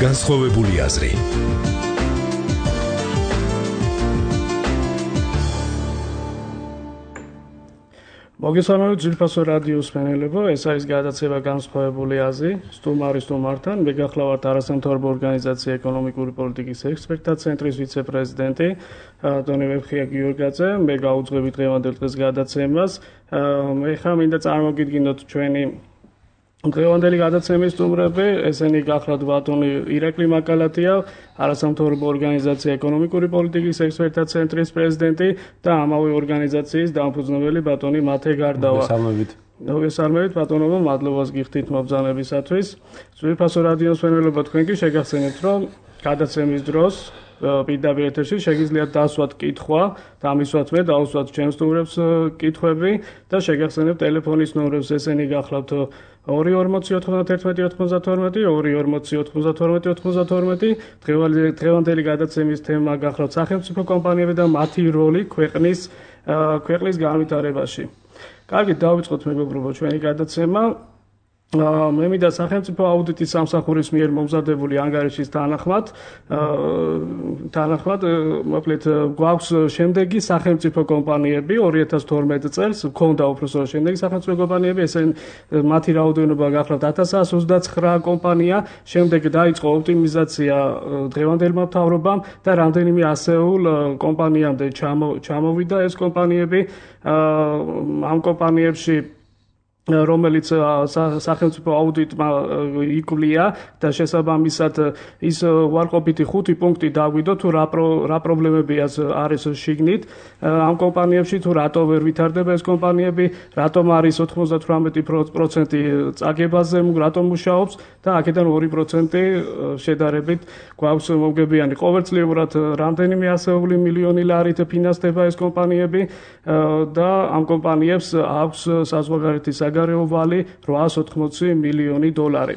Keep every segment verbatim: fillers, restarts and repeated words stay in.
განსხვავებული აზრი. მოგესალმებით ძვირფასო რადიოს მსმენელებო, ეს არის გადაცემა განსხვავებული აზრი. სტუმარის სტუმართან მე გახლავართ არასამთავრობო ორგანიზაცია ეკონომიკური პოლიტიკის ექსპერტთა ცენტრის ვიცე-პრეზიდენტი დონე ვებხია გიორგაძე. მე გაუძღვები დღევანდელ დღეს გადაცემას. მე ხა მინდა წარმოგიდგინოთ ჩვენი დღევანდელი გადაცემის სტუმრები, ესენი გახლავთ ბატონი ირაკლი მაკალათია, არასამთავრობო ორგანიზაცია ეკონომიკური პოლიტიკის ექსპერტთა ცენტრის პრეზიდენტი და ამავე ორგანიზაციის დამფუძნებელი ბატონი მათე გარდავა. მოგესალმებით. მოგესალმებით ბატონო, მადლობას გიხდით მობრძანებისათვის. ძვირფასო რადიოს მსმენელებო, თქვენ კი შეგახსენებთ, რომ გადაცემის დროს პირდაპირ ეთერში შეგიძლიათ დასვათ კითხვა და ამისვათ მე დავუსვათ ჩემს სტუმრებს კითხვები და შეგახსენებთ ტელეფონის ნომრებს, ესენი გახლავთ ორი ორმოცი ოთხმოცდათერთმეტი ოთხმოცდათორმეტი, ორი ორმოცი ოთხმოცდათორმეტი ოთხმოცდათორმეტი. დღევანდელი გადაცემის თემა გახლავთ სახელმწიფო კომპანიები და მათი როლი ქვეყნის ქვეყნის განვითარებაში. კარგი, დავიწყოთ მეგობრებო ჩვენი გადაცემა. მე მინდა სახელმწიფო აუდიტის სამსახურის მიერ მომზადებული ანგარიშის თანახმად თანახმად მოკლედ გვაქვს შემდეგი სახელმწიფო კომპანიები ორი ათას თორმეტ წელს მქონდა უბრალოდ შემდეგი სახელმწიფო კომპანიები, ესენ მათი რაოდენობა გახლავთ ათას ოცდაცხრა კომპანია. შემდეგ დაიწყო ოპტიმიზაცია დღევანდელმა მთავრობამ და რამდენიმე ასეულ კომპანიამდე ჩამოვიდა ეს კომპანიები. ამ კომპანიებში რომელიც სახელმწიფო აუდიტმა იკვლია და შესაბამისად ის უარყოფითი ხუთი პუნქტი დაგვიდო თუ რა პრობლემები არის შიგნით ამ კომპანიებში, თუ რატო ვერ ვითარდება ეს კომპანიები, რატომ არის ოთხმოცდათვრამეტი პროცენტი წაგებაზე, რატომ მუშაობს და აქედან ორი პროცენტი შედარებით გვაქვს მომგებიანი. ყოველწლიურად რამდენიმე ასეული მილიონი ლარით ფინანსდება ეს კომპანიები და ამ კომპანიებს აქვს საზღვარგარეთის საგარეო ვალი რვაას ოთხმოცი მილიონი დოლარი.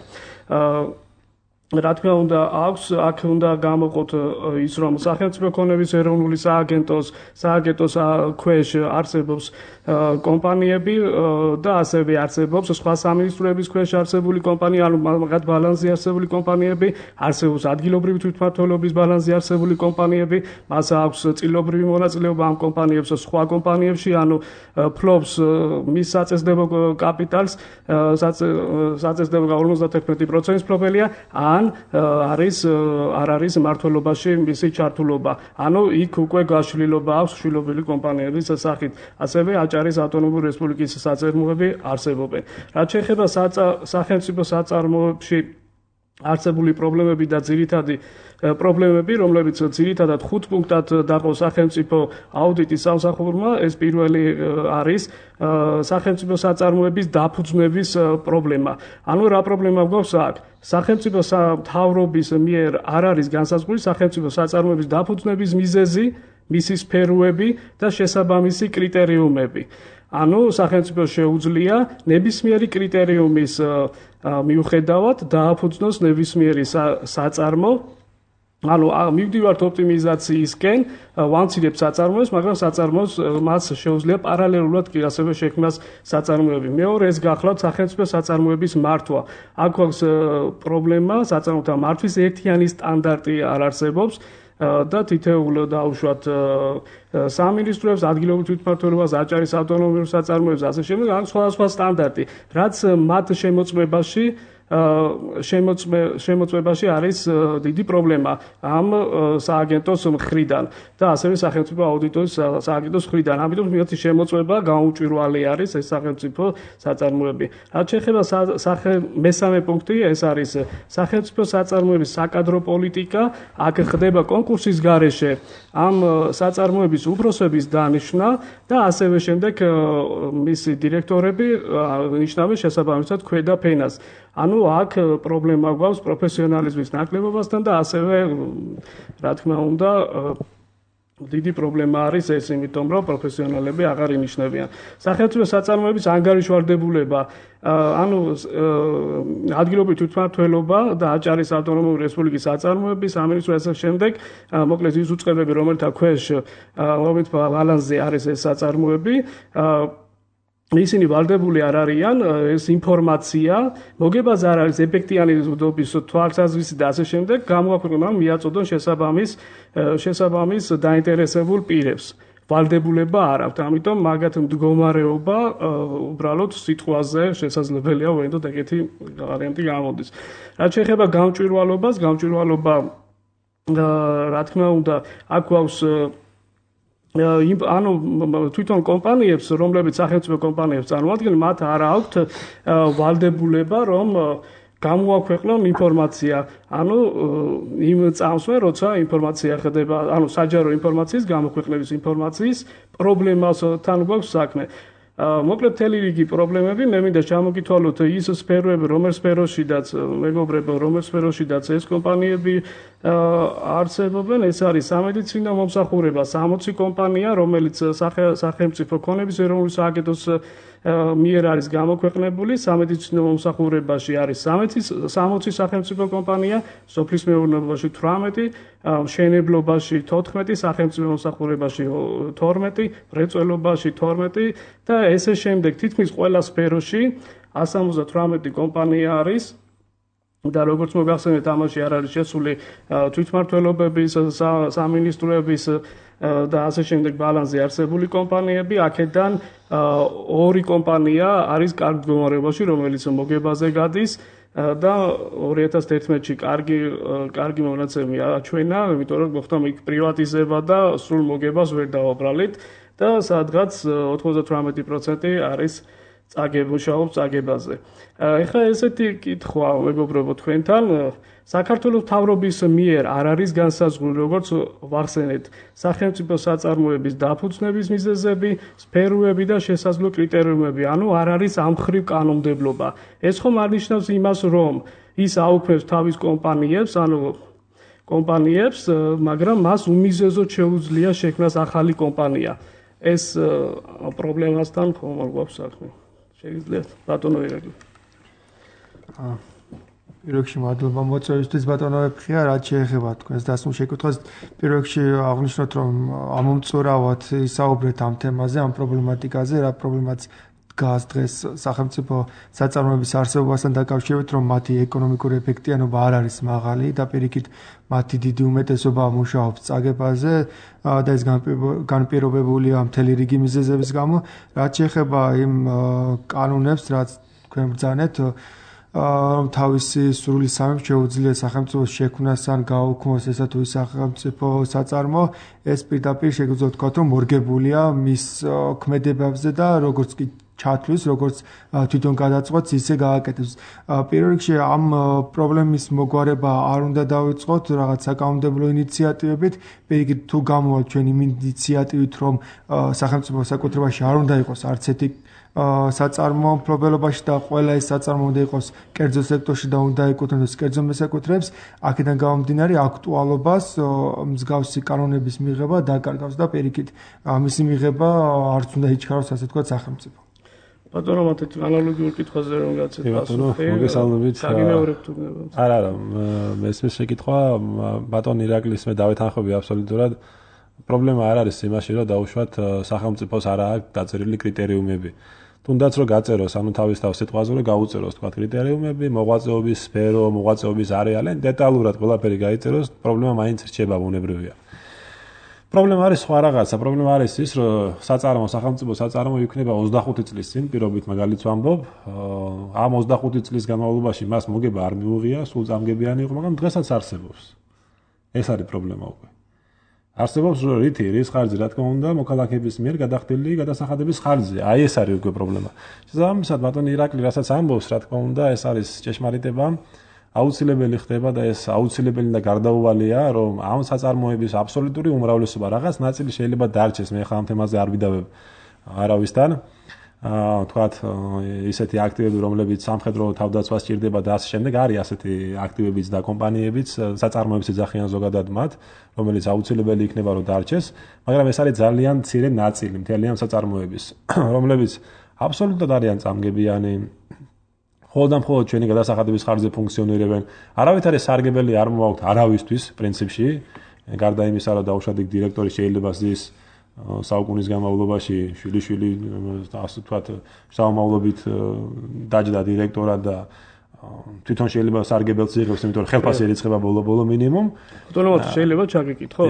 რა თქმა უნდა, აქვს აქ უნდა გამოყოთ ის, რომ სახელმწიფო ქონების ეროვნული სააგენტოს სააგენტოს ქვეშ არსებობს კომპანიები და ასევე არსებობს სხვა სამინისტროების ქვეშ არსებული კომპანია, ანუ მაგათ ბალანსზე არსებული კომპანიები, არსებობს ადგილობრივი თვითმმართველობის ბალანსზე არსებული კომპანიები, მას აქვს წილობრივი მონაწილეობა ამ კომპანიებს სხვა კომპანიებში, ანუ ფლობს მის საწესდებო კაპიტალს, საწესდებო ორმოცდათერთმეტი პროცენტის ფლობელია, ან არის არ არის მმართველობაში მისი ჩართულობა. ანუ იქ უკვე გაშლილობა აქვს შვილობილი კომპანიების სახით. ასევე აჭარის ავტონომიური რესპუბლიკის საწარმოები არსებობენ. რაც შეეხება სახელმწიფო საწარმოებში არსებული პრობლემები და ძირითადი პრობლემები, რომლებიც ძირითადად ხუთ პუნქტად დაყო სახელმწიფო აუდიტის სამსახურმა, ეს პირველი არის სახელმწიფო საწარმოების დაფუძნების პრობლემა. ანუ რა პრობლემა გვაქვს აქ? სახელმწიფო მთავრობის მიერ არ არის განსაზღვრული სახელმწიფო საწარმოების დაფუძნების მიზეზი, მისი სფეროები და შესაბამისი კრიტერიუმები. ანუ სახელმწიფოს შეუძლია ნებისმიერი კრიტერიუმის მიუხედავად დააფუძნოს ნებისმიერი საწარმო. ანუ მივდივართ ოპტიმიზაციისკენ, ვამცირებთ საწარმოებს, მაგრამ საწარმოს მას შეუძლია პარალელურად კი ასევე შექმნას საწარმოები. მეორე, ეს გახლავთ სახელმწიფო საწარმოების მართვა. აქ გვაქვს პრობლემა, საწარმოთა მართვის ერთიანი სტანდარტი არ არსებობს და თითოეულ დაუშვათ სამინისტროებს, ადგილობრივ თვითმმართველობას, აჭარის ავტონომიურ საწარმოებს, ასე შემდეგ, აქვს სხვადასხვა სტანდარტი, რაც მათ შემოწმებაში შემოწმებაში არის დიდი პრობლემა ამ სააგენტოს მხრიდან და ასევე სახელმწიფო აუდიტის სააგენტოს მხრიდან. ამიტომ მათი შემოწმება გაუმჭვირვალე არის ეს სახელმწიფო საწარმოები. რაც შეეხება მესამე პუნქტი, ეს არის სახელმწიფო საწარმოების საკადრო პოლიტიკა. აქ ხდება კონკურსის გარეშე ამ საწარმოების უფროსების დანიშვნა და ასევე შემდეგ მისი დირექტორები ნიშნავენ შესაბამისად ქვედა ფენას. ანუ აქ პრობლემა გვაქვს პროფესიონალიზმის ნაკლებობასთან და ასევე რა თქმა უნდა დიდი პრობლემა არის ეს, იმიტომ რომ პროფესიონალები აღარ ინიშნებიან. სახელმწიფო საწარმოების ანგარიშვალდებულება, ანუ ადგილობრივი თვითმმართველობა და აჭარის ავტონომიური რესპუბლიკის საწარმოების სამინისტრო ასე შემდეგ, მოკლედ ის უწყებები, რომელთა ქვეშ რომლის ბალანსზე არის ეს საწარმოები, ისინი ვალდებული არ არიან ეს ინფორმაცია მოგებაზე არ არის ეფექტიანი უდობის თვალსაზრისი და ასე შემდეგ გამოაქვეყნონ მიაწოდონ შესაბამის შესაბამის დაინტერესებულ პირებს ვალდებულება არ აქვს ამიტომ მაგათ მდგომარეობა უბრალოდ სიტყვაზე შესაძლებელია ვინდოდ ეგეთი ვარიანტი გამოდის რაც შეეხება გამჭვირვალობას გამჭვირვალობა რა თქმა უნდა აქ გვაქვს ანუ თვითონ კომპანიებს, რომლებიც სახელმწიფო კომპანიებს წარმოადგენენ, მათ არ აქვთ ვალდებულება, რომ გამოაქვეყნონ ინფორმაცია. ანუ იმ წამსვე, როცა ინფორმაცია ხდება, ანუ საჯარო ინფორმაციის გამოქვეყნების ინფორმაციის პრობლემასთან გვაქვს საქმე. მოკლედ მთელი რიგი პრობლემები მე მინდა ჩამოგითვალოთ ის სფეროები, რომელ სფეროშიდაც მეგობრებო, რომელ სფეროშიდაც ეს კომპანიები არსებობენ, ეს არის სამედიცინო მომსახურება, სამოცი კომპანია, რომელიც სახელმწიფო ქონების ეროვნული სააგენტოს მიერ არის გამოქვეყნებული, სამედიცინო მომსახურებაში არის სამოცი სახელმწიფო კომპანია, სოფლის მეურნეობაში თვრამეტი, მშენებლობაში თოთხმეტი, სახელმწიფო მომსახურებაში თორმეტი, მრეწველობაში თორმეტი და ესე შემდეგ თითქმის ყველა სფეროში one hundred seventy-eight კომპანია არის და როგორც მოგახსენეთ ამაში არ არის შესული თვითმმართველობების, სამინისტროების და ასე შემდეგ ბალანსზე არსებული კომპანიები, აქედან ორი კომპანია არის კარგ მდგომარეობაში, რომელიც მოგებაზე გადის და two thousand eleven წლში კარგი კარგი მონაცემი აჩვენა, იმიტომ რომ მოხდა იქ პრივატიზება და სრულ მოგებას ვერ დავაბრალეთ და სადღაც ninety-eight procent არის წაგებუშაობს წაგებაზე. ეხლა ესეთი კითხვა მეგობრებო თქვენთან საქართველოს მთავრობის მიერ არ არის განსაზღვრული როგორც ვახსენეთ სახელმწიფო საწარმოების დაფუძნების მიზეზები, სფეროები და შესაძლო კრიტერიუმები, ანუ არ არის ამ მხრივ კანონმდებლობა. ეს ხომ არნიშნავს იმას, რომ ის აუქმებს თავის კომპანიებს, ანუ კომპანიებს, მაგრამ მას უმიზეზოდ შეუძლია შექმნას ახალი კომპანია. ეს პრობლემასთან ხომ არ გვაქვს საქმე. შეგიძლიათ ბატონო ირაკლი. აა პირველ რიგში მადლობა მოწვევისთვის ბატონო ეფხია, რაც შეეხება თქვენს დასმულ შეკითხვას. პირველ რიგში აღნიშნოთ, რომ ამომწურავად ისაუბრეთ ამ თემაზე, ამ პრობლემატიკაზე, რა პრობლემაც დგას დღეს სახელმწიფო საწარმოების არსებობასთან დაკავშირებით, რომ მათი ეკონომიკური ეფექტიანობა არ არის მაღალი და პირიქით მათი დიდი უმეტესობა მუშაობს წაგებაზე და ეს განპირობებულია მთელი რიგი მიზეზების გამო, რაც შეეხება იმ კანონებს, რაც თქვენ ბრძანეთ, რომ თავისი სრული სამი შეუძლია სახელმწიფოს შექმნას ან გააუქმოს ესა თუ ის სახელმწიფო საწარმო, ეს პირდაპირ შეგვიძლია ვთქვათ, რომ მორგებულია მის ქმედებებზე და როგორც კი ჩათვლის, როგორც თვითონ გადაწყვეტს, ისე გააკეთებს. პირველ რიგში ამ პრობლემის მოგვარება არ უნდა დავიწყოთ რაღაც საკანონმდებლო ინიციატივებით, პირიქით თუ გამოვალ ჩვენ იმ ინიციატივით, რომ სახელმწიფო საკუთრებაში არ უნდა იყოს არც ერთი საწარმო მფლობელობაში და ყველა ეს საწარმო უნდა იყოს კერძო სექტორში და უნდა ეკუთვნოს კერძო მესაკუთრეებს, აქედან გამომდინარე აქტუალობას მსგავსი კანონების მიღება დაკარგავს და პირიქით მისი მიღება არც უნდა იჩქაროს, ასე თქვა სახელმწიფო. ბატონო მათეთ ანალოგიურ კითხვაზე რომ გაცეთ ბატონო მოგესალმებით. არა არა მესმის შეკითხვა ბატონ ირაკლის მე დავეთანხმები აბსოლუტურად. პრობლემა არ არის იმაში, რომ დაუშვათ სახელმწიფოს არ აქვს დაწერილი კრიტერიუმები. თუნდაც რომ გაწეროს, ანუ თავისთავად სიტყვაზე რომ გაუწეროს თქვა კრიტერიუმები, მოღვაწეობის სფერო, მოღვაწეობის არეალი, დეტალურად ყველაფერი გაიწეროს, პრობლემა მაინც რჩება ბუნებრივია. პრობლემა არის სხვა რაღაცა, პრობლემა არის ის, რომ საწარმო, სახელმწიფო საწარმო იქნება ოცდახუთი წლის წინ, პირობით მაგალითს ვამბობ, ამ ოცდახუთი წლის განმავლობაში მას მოგება არ მიუღია, სულ წამგებიანი იყო, მაგრამ დღესაც არსებობს. ეს არის პრობლემა უკვე. არსებობს რითი, რის ხარჯზე, რა თქმა უნდა, მოქალაქეების მიერ გადახდილი გადასახადების ხარჯზე. აი ეს არის უკვე პრობლემა. შესაბამისად, ბატონი ირაკლი, რასაც ამბობს, რა თქმა უნდა, ეს არის ჭეშმარიტება. აუცილებელი ხდება და ეს აუცილებელი და გარდაუვალია, რომ ამ საწარმოების აბსოლუტური უმრავლესობა რაღაც ნაწილი შეიძლება დარჩეს, მე ხა ამ თემაზე არ ვიდავებ არავისთან. აა თქვათ ისეთი აქტივები, რომლებიც სამხედრო თავდაცვას სჭირდება და ასე შემდეგ, არის ასეთი აქტივებიც და კომპანიებიც, საწარმოებს ეძახიან ზოგადად მათ, რომელიც აუცილებელი იქნება რომ დარჩეს, მაგრამ ეს არის ძალიან მცირე ნაწილი მთელი ამ საწარმოების, რომლებიც აბსოლუტურად არიან წამგებიანი. მხოლოდ და მხოლოდ ჩვენი გადასახადების ხარჯზე ფუნქციონირებენ. არავითარი სარგებელი არ მოაქვთ არავისთვის პრინციპში, გარდა იმისა, რომ დაუშვათ იქ დირექტორი შეიძლება ზის საუკუნის განმავლობაში შვილი-შვილი ასე ვთქვათ, საომავლობით დაჯდა დირექტორად და თვითონ შეიძლება სარგებელს იღებს, იმიტომ რომ ხელფასი ერიცხება ბოლო-ბოლო მინიმუმ. ბატონო, შეიძლება ჩაგიკითხოთ?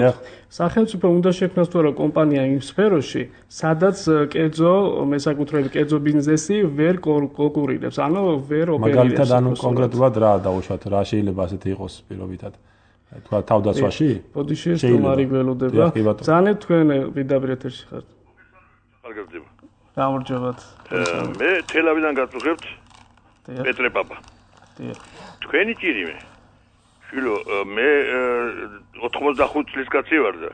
სახელმწიფო უნდა შექმნას თუ არა კომპანია იმ სფეროში, სადაც კერძო მესაკუთრეები, კერძო ბიზნესი ვერ კონკურირებს, ანუ ვერ ოპერირებს. მაგალითად, ანუ კონკრეტულად რა დაუშვათ, რა შეიძლება ასეთი იყოს პირობითად? თქვა თავდაცვაში? მოდი შეესტუმარი გველოდება. ძალიან თქვენ პირდაპირ ეთერში ხართ. კარგად. გამარჯობათ. მე თელავიდან გაწუხებთ. პეტრე პაპა. თქვენი ჭირიმე. შვილო, მე ოთხმოცდახუთი წლის კაცი ვარ და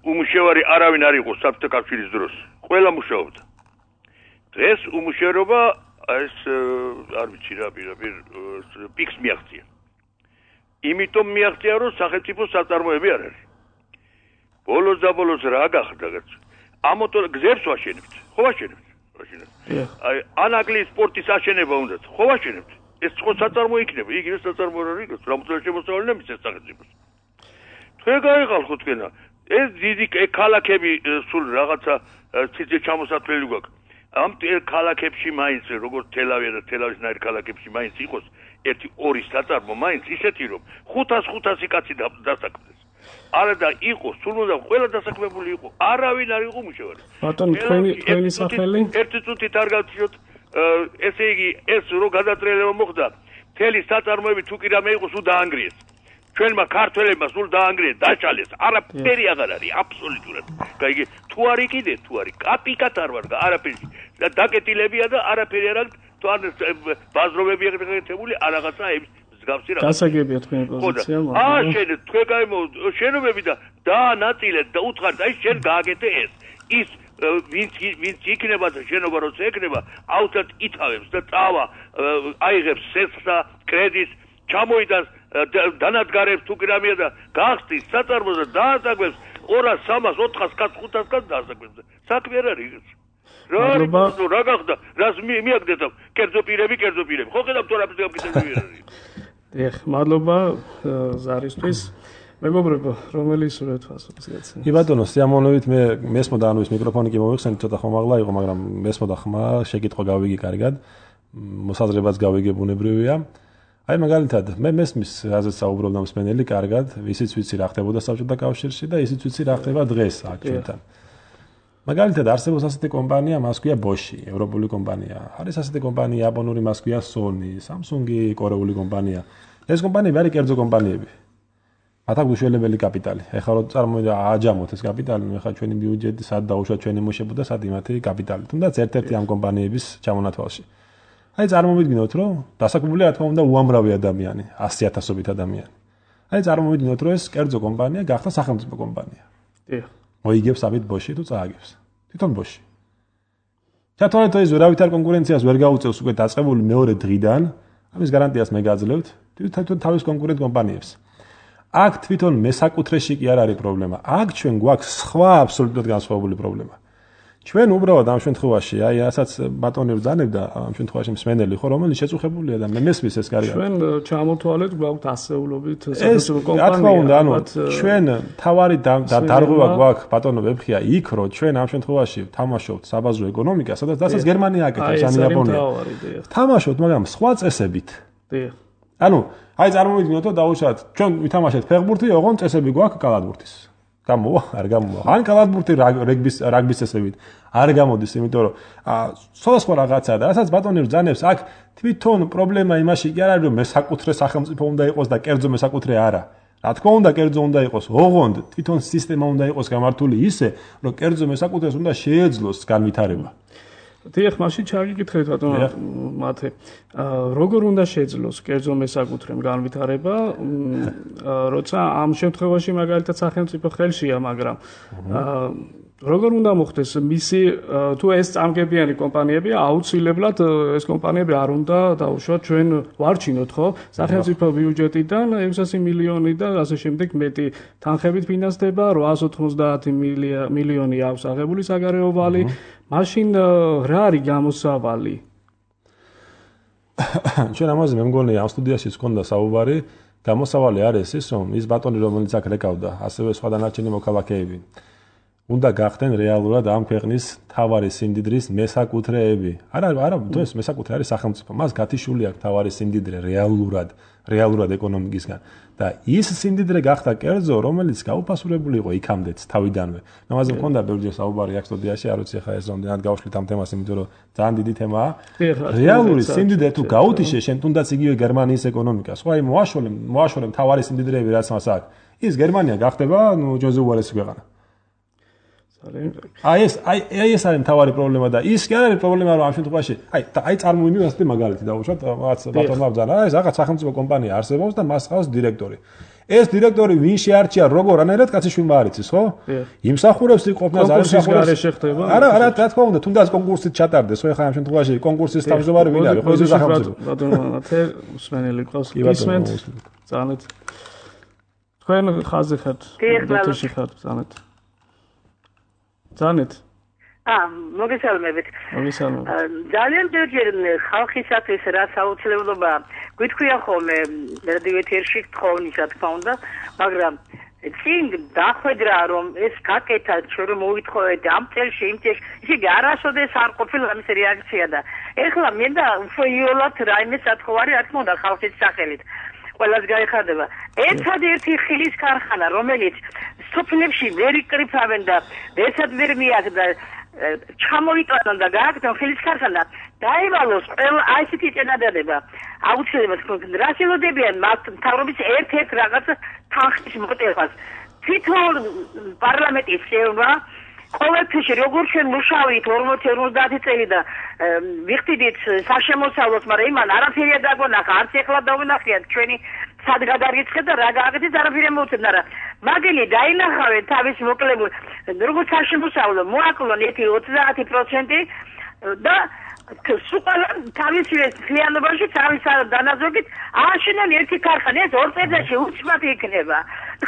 უმუშევარი არავინ არ იყო საბჭოთა კავშირის დროს. ყველა მუშაობდა. დღეს უმუშევრობა ეს არ ვიცი რა პირდაპირ პიქს მიაღწია. იმიტომ მიაღწია, რომ სახელმწიფო საწარმოები არ არის. ბოლოს და ბოლოს რა გახდა? ამოთო გზებს ვაშენებთ. ხო ვაშენებთ? ვაშენებთ. აი, ანაგლის სპორტის აშენება უნდათ. ხო ვაშენებთ. ეს ხო საწარმო იქნება, იგივე საწარმო არ არის, რამოდენიმე შემოსავალი ნემის სახელმწიფოს. თქვენ გაიყალხოთ თქვენა. ეს დიდი ქალაქები სულ რაღაცა ციცე ჩამოსათვლელი გვაქვს. ამ ქალაქებში მაინც როგორც თელავი და თელავის ნაირ ქალაქებში მაინც იყოს ერთი ორი საწარმო მაინც ისეთი რომ ხუთას ხუთასი კაცი დასაქმდეს. არა და იყო, სულ უნდა ყველა დასაქმებული იყო. არავინ არ იყო მუშავარი. ბატონო, თქვენი თქვენი სახელი? ერთი წუთით არ გავჩიოთ. ესე იგი, ეს რო გადატრიალება მოხდა, მთელი საწარმოები თუ კი რამე იყო, სულ დაანგრიეს. ჩვენმა ქართველებმა სულ დაანგრიეს, დაშალეს. არაფერი აღარ არის, აბსოლუტურად. გაიგე, თუ არ იყიდე, თუ არის, კაპიკად არ ვარ, არაფერი. და დაკეტილებია და არაფერი არ აქვს, თუ არ ბაზრობები ეგრეთებული, არ რაღაცა ეს მსგავსი რაღაც. გასაგებია თქვენი პოზიცია, მაგრამ აა შენ თქვენ გაიმო შენობები და დაანაწილეთ და უთხართ, აი შენ გააკეთე ეს. ის ვინც ვინც იქნება და შენობა როცა ეკნება, აუცილებლად ითავებს და წავა, აიღებს სესხს და კრედიტს, ჩამოიდას დანადგარებს თუ კი რამეა და გახსნის საწარმოს და დაასაქმებს ორას, სამას, ოთხას კაც, ხუთას კაც დაასაქმებს. საქმე არ არის. რა რა გახდა? რას მიაგდეთ? კერძო პირები, კერძო პირები. ხო ხედავთ რა ფიზიკა ფიზიკები არ არის. დიახ, მადლობა ზარისთვის. მეგობრებო, რომელი სურვეთ ფასობს გაცნე? კი ბატონო, სიამოვნებით მე მესმოდა, ანუ ეს მიკროფონი კი მოვიხსენით, ცოტა ხომაღლა იყო, მაგრამ მესმოდა ხმა, შეკითხვა გავიგე კარგად. მოსაზრებაც გავიგე ბუნებრივია. აი მაგალითად, მე მესმის რაზეც საუბრობდა მსმენელი კარგად, ისიც ვიცი რა ხდებოდა საბჭოთა კავშირში და ისიც ვიცი რა ხდება დღეს აქ ჩვენთან. მაგალითად, არსებობს ასეთი კომპანია, მას ქვია Bosch, ევროპული კომპანია. არის ასეთი კომპანია, იაპონური, მას ქვია Sony, Samsung-ი, კორეული კომპანია. ეს კომპანიები არის კერძო კომპანიები. მათ აქვს უშველებელი კაპიტალი. ეხლა რო წარმოიდგინე ააჯამოთ ეს კაპიტალი, ნუ ეხლა ჩვენი ბიუჯეტი სად დაუშვათ ჩვენი მოშებოდა სად იმათი კაპიტალი. თუნდაც ერთ-ერთი ამ კომპანიების ჩამონათვალში. აი წარმოვიდგინოთ, რომ დასაქმებული რა თქმა უნდა უამრავი ადამიანი, ასი ათასობით ადამიანი. აი წარმოვიდგინოთ, რომ ეს კერძო კომპანია გახდა სახელმწიფო კომპანია. დიახ. მოიგებს ამით Bosch თუ წააგებს. თვითონ Bosch. ჩათვალეთ ეს ვერავითარ კონკურენციას ვერ გაუწევს უკვე დაწყებული მეორე დღიდან, ამის გარანტიას მე გაძლევთ, თვითონ თავის კონკურენტ კომპანიებს. აქ თვითონ მესაკუთრეში კი არ არის პრობლემა. აქ ჩვენ გვაქვს სხვა აბსოლუტურად განსხვავებული პრობლემა. ჩვენ უბრალოდ ამ შემთხვევაში, აი ასაც ბატონი ბრძანებდა ამ შემთხვევაში მსმენელი ხო, რომელიც შეწუხებულია და მე მესმის ეს კარგად. ჩვენ ჩამოთვალეთ გვაქვს ასეულობით სახელმწიფო კომპანია. რა თქმა უნდა, ანუ ჩვენ თავარი დარღვევა გვაქვს ბატონო ვებხია იქ, რომ ჩვენ ამ შემთხვევაში თამაშობთ საბაზრო ეკონომიკას, სადაც დასაც გერმანია აკეთებს ან იაპონია. თამაშობთ, მაგრამ სხვა წესებით. დიახ. ანუ აი წარმოვიდგინოთ, რომ დაუშვათ, ჩვენ ვითამაშეთ ფეხბურთი, ოღონდ წესები გვაქვს კალათბურთის. გამოვა, არ გამოვა. ან კალათბურთი რაგბის რაგბის წესებით არ გამოდის, იმიტომ რომ სხვადასხვა რაღაცაა და რასაც ბატონი ბრძანებს, აქ თვითონ პრობლემა იმაში კი არ არის, რომ მესაკუთრე სახელმწიფო უნდა იყოს და კერძო მესაკუთრე არა. რა თქმა უნდა, კერძო უნდა იყოს, ოღონდ თვითონ სისტემა უნდა იყოს გამართული ისე, რომ კერძო მესაკუთრეს უნდა შეეძლოს განვითარება. დიახ, მაშინ ჩაგიკითხეთ ბატონო მათე. როგორ უნდა შეძლოს კერძო მესაკუთრემ განვითარება, როცა ამ შემთხვევაში მაგალითად სახელმწიფო ხელშია, მაგრამ როგორ უნდა მოხდეს მისი თუ ეს წამგებიანი კომპანიები აუცილებლად ეს კომპანიები არ უნდა დაუშვათ ჩვენ ვარჩინოთ ხო სახელმწიფო ბიუჯეტიდან ექვსასი მილიონი და ასე შემდეგ მეტი თანხებით ფინანსდება რვაას ოთხმოცდაათი მილიონი აქვს აღებული საგარეო ვალი მაშინ რა არის გამოსავალი ჩვენ ამაზე მე მგონი ამ სტუდიაშიც გქონდა საუბარი გამოსავალი არის ის რომ ის ბატონი რომელიც აქ რეკავდა ასევე სხვა დანარჩენი მოქალაქეები უნდა გახდნენ რეალურად ამ ქვეყნის თავარი სიმდიდრის მესაკუთრეები. არა, არა, თუ ეს მესაკუთრე არის სახელმწიფო, მას გათიშული აქვს თავარი სიმდიდრე რეალურად, რეალურად ეკონომიკისგან. და ის სიმდიდრე გახდა კერძო, რომელიც გაუფასურებული იყო იქამდეც თავიდანვე. ამაზე მქონდა ბევრი საუბარი აქ სტუდიაში, არ ვიცი ხა ეს რამდენად გავშლით ამ თემას, იმიტომ რომ ძალიან დიდი თემაა. რეალური სიმდიდრე თუ გაუთიშე, შენ თუნდაც იგივე გერმანიის ეკონომიკას, ხო აი მოაშორე, მოაშორე თავარი სიმდიდრეები რაც მას აქვს. ის გერმანია გახდება, ნუ ჯოზე უარესი ქვეყანა. აი ეს აი აი ეს არის მთავარი პრობლემა და ის კი არ არის პრობლემა რომ ამ შემთხვევაში აი აი წარმოვიდი ასეთი მაგალითი დავუშვათ რაღაც ბატონმა ბძანა ეს რაღაც სახელმწიფო კომპანია არსებობს და მას ყავს დირექტორი ეს დირექტორი ვინ შეარჩია როგორ-ანაირად კაცი შვილმა არ იცის ხო იმსახურებს იყოფნას არ იმსახურებს შეხდება არა არა რა თქმა უნდა თუნდაც კონკურსით ჩატარდეს ხო ეხლა ამ შემთხვევაში კონკურსის თავმჯდომარე ვინ არის ხო ეს სახელმწიფო ბატონო თე უსმენელი ყავს ისმენთ ძალიან თქვენ ხაზი ხართ დოქტორში ხართ ძალიან Zanit. Ah, მოგესალმებით. მოგესალმებით. ძალიან ჯერ ხალხისათვის რა საუცლებლობა გვითქვია ხოლმე რადიო ეთერში თხოვნისა თქმა უნდა, მაგრამ წინ დახვედრა რომ ეს გაკეთა ჩვენ რომ მოვითხოვეთ ამ წელში იმ წელში ისე არასოდეს არ ყოფილა ამის რეაქცია და ეხლა მე და უფრო იოლად რაიმე სათხოვარი რა თქმა უნდა ხალხის სახელით ყველას გაიხადება. ერთადერთი ხილის ქარხანა რომელიც სოფლებში ვერ იკრიფავენ და ესად ვერ მიაქვს და ჩამოიტანონ და გააკეთონ ხილის ქარხანა დაივალოს ყველა აი ესეთი წინადადება აუცილებლად თქვენ რა შეგოდებიან მას მთავრობის ერთ-ერთ რაღაც თანხის მოტევას თვითონ პარლამენტის წევრმა ყოველთვის როგორ ჩვენ მუშაობთ ორმოცი ორმოცდაათი წელი და ვიხდით საშემოსავლოს მაგრამ იმან არაფერია დაგვენახა არც ეხლა დავინახეთ ჩვენი სად გადარიცხეთ და რა გააკეთეთ არაფერი მოუწევთ მაგრამ მაგელი დაინახავენ თავის მოკლებულ როგორც საშემოსავლო მოაკლონ ერთი ოცდაათი პროცენტი და სუყალა თავის ფლიანობაში თავის დანაზოგით აშენან ერთი ქარხანა ეს ორ წელიწადში უცბად იქნება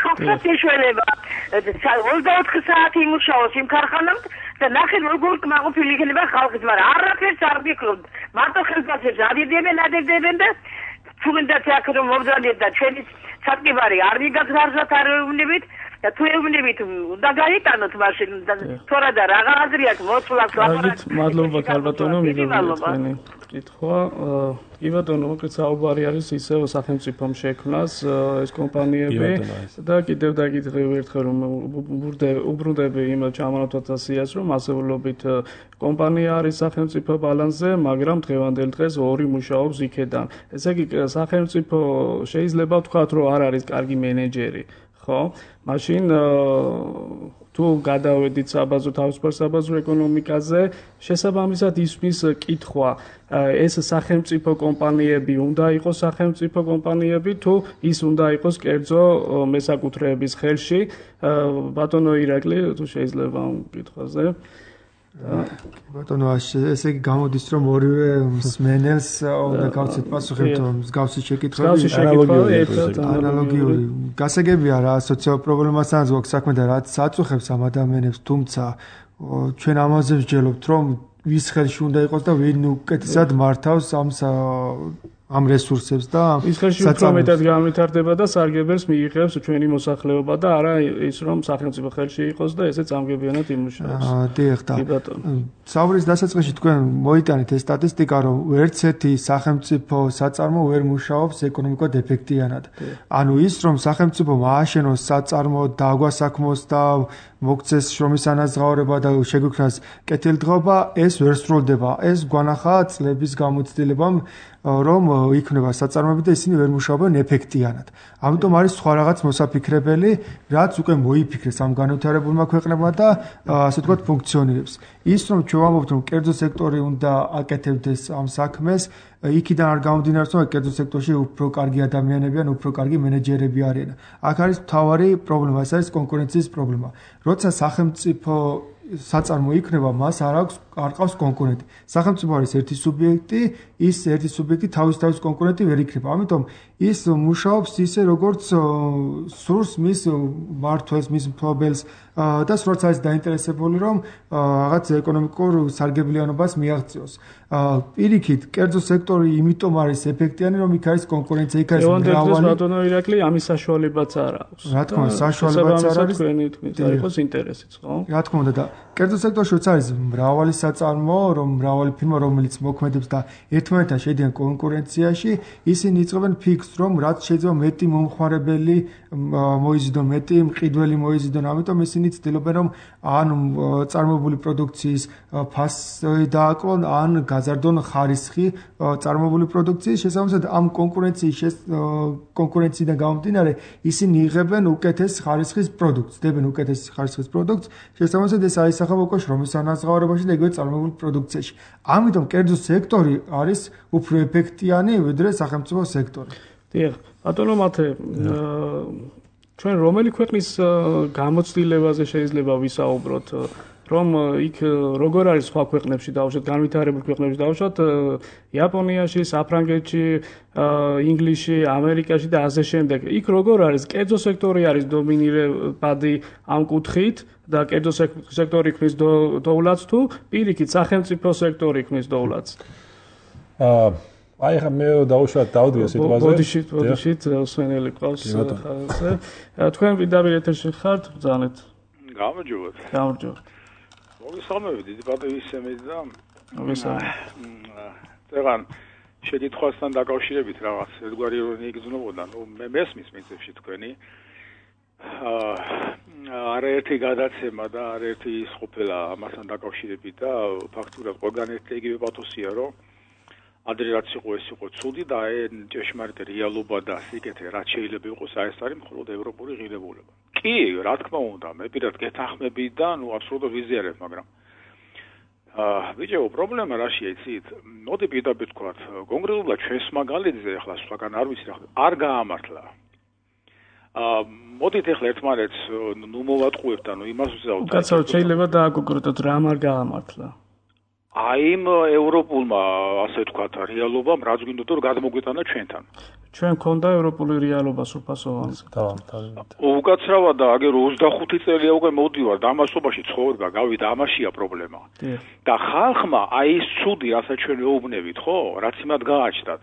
ხალხს ეშველება ოცდაოთხი საათი იმუშაოს იმ ქარხანამ და ნახეთ როგორ კმაყოფილი იქნება ხალხის მაგრამ არაფერს არ გიქრობთ მარტო ხელფასებს ადიდებენ ადიდებენ და თუნდაც აქ რომ მობრძანეთ და ჩვენი სატკივარი არ მიგაგზავნოთ არ ეუბნებით და თუ ეუბნებით უნდა გაიტანოთ მაშინ თორა და რა აზრი აქვს მოწვლას ლაპარაკი მადლობა ქალბატონო მიგებთ თქვენი კითხვა კი ბატონო მოკლედ საუბარი არის ისევ სახელმწიფომ შექმნას ეს კომპანიები და კიდევ დაგითხრევ ერთხელ რომ უბრუნდები იმ ჩამონათვალსიას რომ მასეულობით კომპანია არის სახელმწიფო ბალანსზე მაგრამ დღევანდელ დღეს ორი მუშაობს იქედან ესე იგი სახელმწიფო შეიძლება ვთქვათ რომ არ არის კარგი მენეჯერი ხო მაშინ თუ გადავედით საბაზო თავისუფალ საბაზო ეკონომიკაზე შესაბამისად ისმის კითხვა ეს სახელმწიფო კომპანიები უნდა იყოს სახელმწიფო კომპანიები თუ ის უნდა იყოს კერძო მესაკუთრეების ხელში ბატონო ირაკლი თუ შეიძლება ამ კითხვაზე ბატონო ესე იგი გამოდის რომ ორივე მსმენელს უნდა გავცეთ პასუხი თუ მსგავსი შეკითხვები ანალოგიური გასაგებია რა სოციალურ პრობლემასთან გვაქვს საქმე და რაც აწუხებს ამ ადამიანებს თუმცა ჩვენ ამაზე ვსჯელობთ რომ ვის ხელში უნდა იყოს და ვინ უკეთესად მართავს ამ ამ რესურსებს და ის ხელში უფრო მეტად განვითარდება და სარგებელს მიიღებს ჩვენი მოსახლეობა და არა ის რომ სახელმწიფო ხელში იყოს და ესე წამგებიანად იმუშაოს. აა დიახ და საუბრის დასაწყისში თქვენ მოიტანეთ ეს სტატისტიკა რომ ვერც ერთი სახელმწიფო საწარმო ვერ მუშაობს ეკონომიკურად ეფექტიანად. ანუ ის რომ სახელმწიფო მააშენოს საწარმო და აგვასაქმოს და მოგცეს შრომის ანაზღაურება და შეგვიქმნას კეთილდღეობა ეს ვერ სრულდება. ეს გვანახა წლების გამოცდილებამ რომ იქნება საწარმოები და ისინი ვერ მუშაობენ ეფექტიანად. ამიტომ არის სხვა რაღაც მოსაფიქრებელი, რაც უკვე მოიფიქრეს ამ განვითარებულმა ქვეყნებმა და ასე ვთქვათ ფუნქციონირებს. ის რომ ჩვენ ვამბობთ რომ კერძო სექტორი უნდა აკეთებდეს ამ საქმეს, იქიდან არ გამომდინარეობს რომ კერძო სექტორში უფრო კარგი ადამიანები ან უფრო კარგი მენეჯერები არიან. აქ არის მთავარი პრობლემა, ეს არის კონკურენციის პრობლემა. როცა სახელმწიფო საწარმო იქნება, მას არ აქვს არ ყავს კონკურენტი. სახელმწიფო არის ერთი სუბიექტი, ის ერთი სუბიექტი თავის თავის კონკურენტი ვერ იქნება. ამიტომ ის მუშაობს ისე როგორც სურს მის მმართველს, მის მფლობელს და სროც არის დაინტერესებული რომ რაღაც ეკონომიკურ სარგებლიანობას მიაღწიოს. პირიქით, კერძო სექტორი იმიტომ არის ეფექტიანი, რომ იქ არის კონკურენცია, იქ არის მრავალი. ბატონო ირაკლი, ამის საშუალებაც არ აქვს. რა თქმა უნდა, საშუალებაც არ არის. თქვენი თქმით, არ იყოს ინტერესიც, ხო? რა თქმა უნდა და კერძო სექტორშიც არის მრავალი საწარმო, რომ მრავალი ფირმა, რომელიც მოქმედებს და ერთმანეთთან შედიან კონკურენციაში, ისინი იწყებენ ფიქს, რომ რაც შეიძლება მეტი მომხმარებელი მოიზიდონ, მეტი მყიდველი მოიზიდონ, ამიტომ ისინი ცდილობენ, რომ ან წარმოებული პროდუქციის ფასი დააკლონ, ან გაზარდონ ხარისხი წარმოებული პროდუქციის. შესაბამისად, ამ კონკურენციის კონკურენციიდან გამომდინარე, ისინი იღებენ უკეთეს ხარისხის პროდუქტს, დებენ უკეთეს ხარისხის პროდუქტს. შესაბამისად, ეს აისახება უკვე შრომის ანაზღაურებაში და იგივე წარმოებული პროდუქციაში. ამიტომ კერძო სექტორი არის უფრო ეფექტიანი, ვიდრე სახელმწიფო სექტორი. დიახ, ბატონო მათე, ჩვენ რომელი ქვეყნის გამოცდილებაზე შეიძლება ვისაუბროთ, რომ იქ როგორ არის სხვა ქვეყნებში დავუშვათ, განვითარებულ ქვეყნებში დავუშვათ, იაპონიაში, საფრანგეთში, ინგლისში, ამერიკაში და ასე შემდეგ. იქ როგორ არის? კერძო სექტორი არის დომინირებადი ამ კუთხით და კერძო სექტორი ქმნის დოვლათს თუ პირიქით სახელმწიფო სექტორი ქმნის დოვლათს? აა აი ხა მე დავუშვათ დავდია სიტუაციაზე. ბოდიშით, ბოდიშით, სვენელი ყავს ხალხზე. თქვენ პირდაპირ ეთერში ხართ, ბრძანეთ. გამარჯობათ. გამარჯობათ. მოგესალმებით, დიდი პატივისცემით და მოგესალმებით. ეხლა შეკითხვასთან დაკავშირებით რაღაც ერთგვარი ირონია იგრძნობოდა, ნუ მე მესმის მიწებში თქვენი აა არაერთი გადაცემა და არაერთი სყოფელა ამასთან დაკავშირებით და ფაქტურად ყველგან ერთი იგივე პათოსია, რომ ადრე რაც იყო ეს იყო ცუდი და აი ჭეშმარიტი რეალობა და სიკეთე რაც შეიძლება იყოს, აი ეს არის მხოლოდ ევროპული ღირებულება. კი, რა თქმა უნდა, მე პირად გეთანხმები და ნუ აბსოლუტურად ვიზიარებ, მაგრამ აა ბიჭო, პრობლემა რაშია იცით? მოდი პირდაპირ ვთქვათ, კონკრეტულად ჩვენს მაგალითზე ახლა სხვაგან არ ვიცი რა, არ გაამართლა. აა მოდით ახლა ერთმანეთს ნუ მოვატყუებთ, ანუ იმას ვზავთ. უკაცრავად შეიძლება დააკონკრეტოთ რა არ გაამართლა. აი იმ ევროპულმა, ასე ვთქვათ, რეალობამ რაც გვინდოდა რომ გადმოგვიტანა ჩვენთან. ჩვენ გქონდა ევროპული რეალობა სრულფასოვანი. უკაცრავად და აგერ ოცდახუთი წელია უკვე მოდივარ და ამასობაში ცხოვრება, გავიდა, ამაშია პრობლემა. და ხალხმა აი ეს ცუდი, რასაც ჩვენ ვეუბნებით, ხო, რაც იმად გააჩნდათ.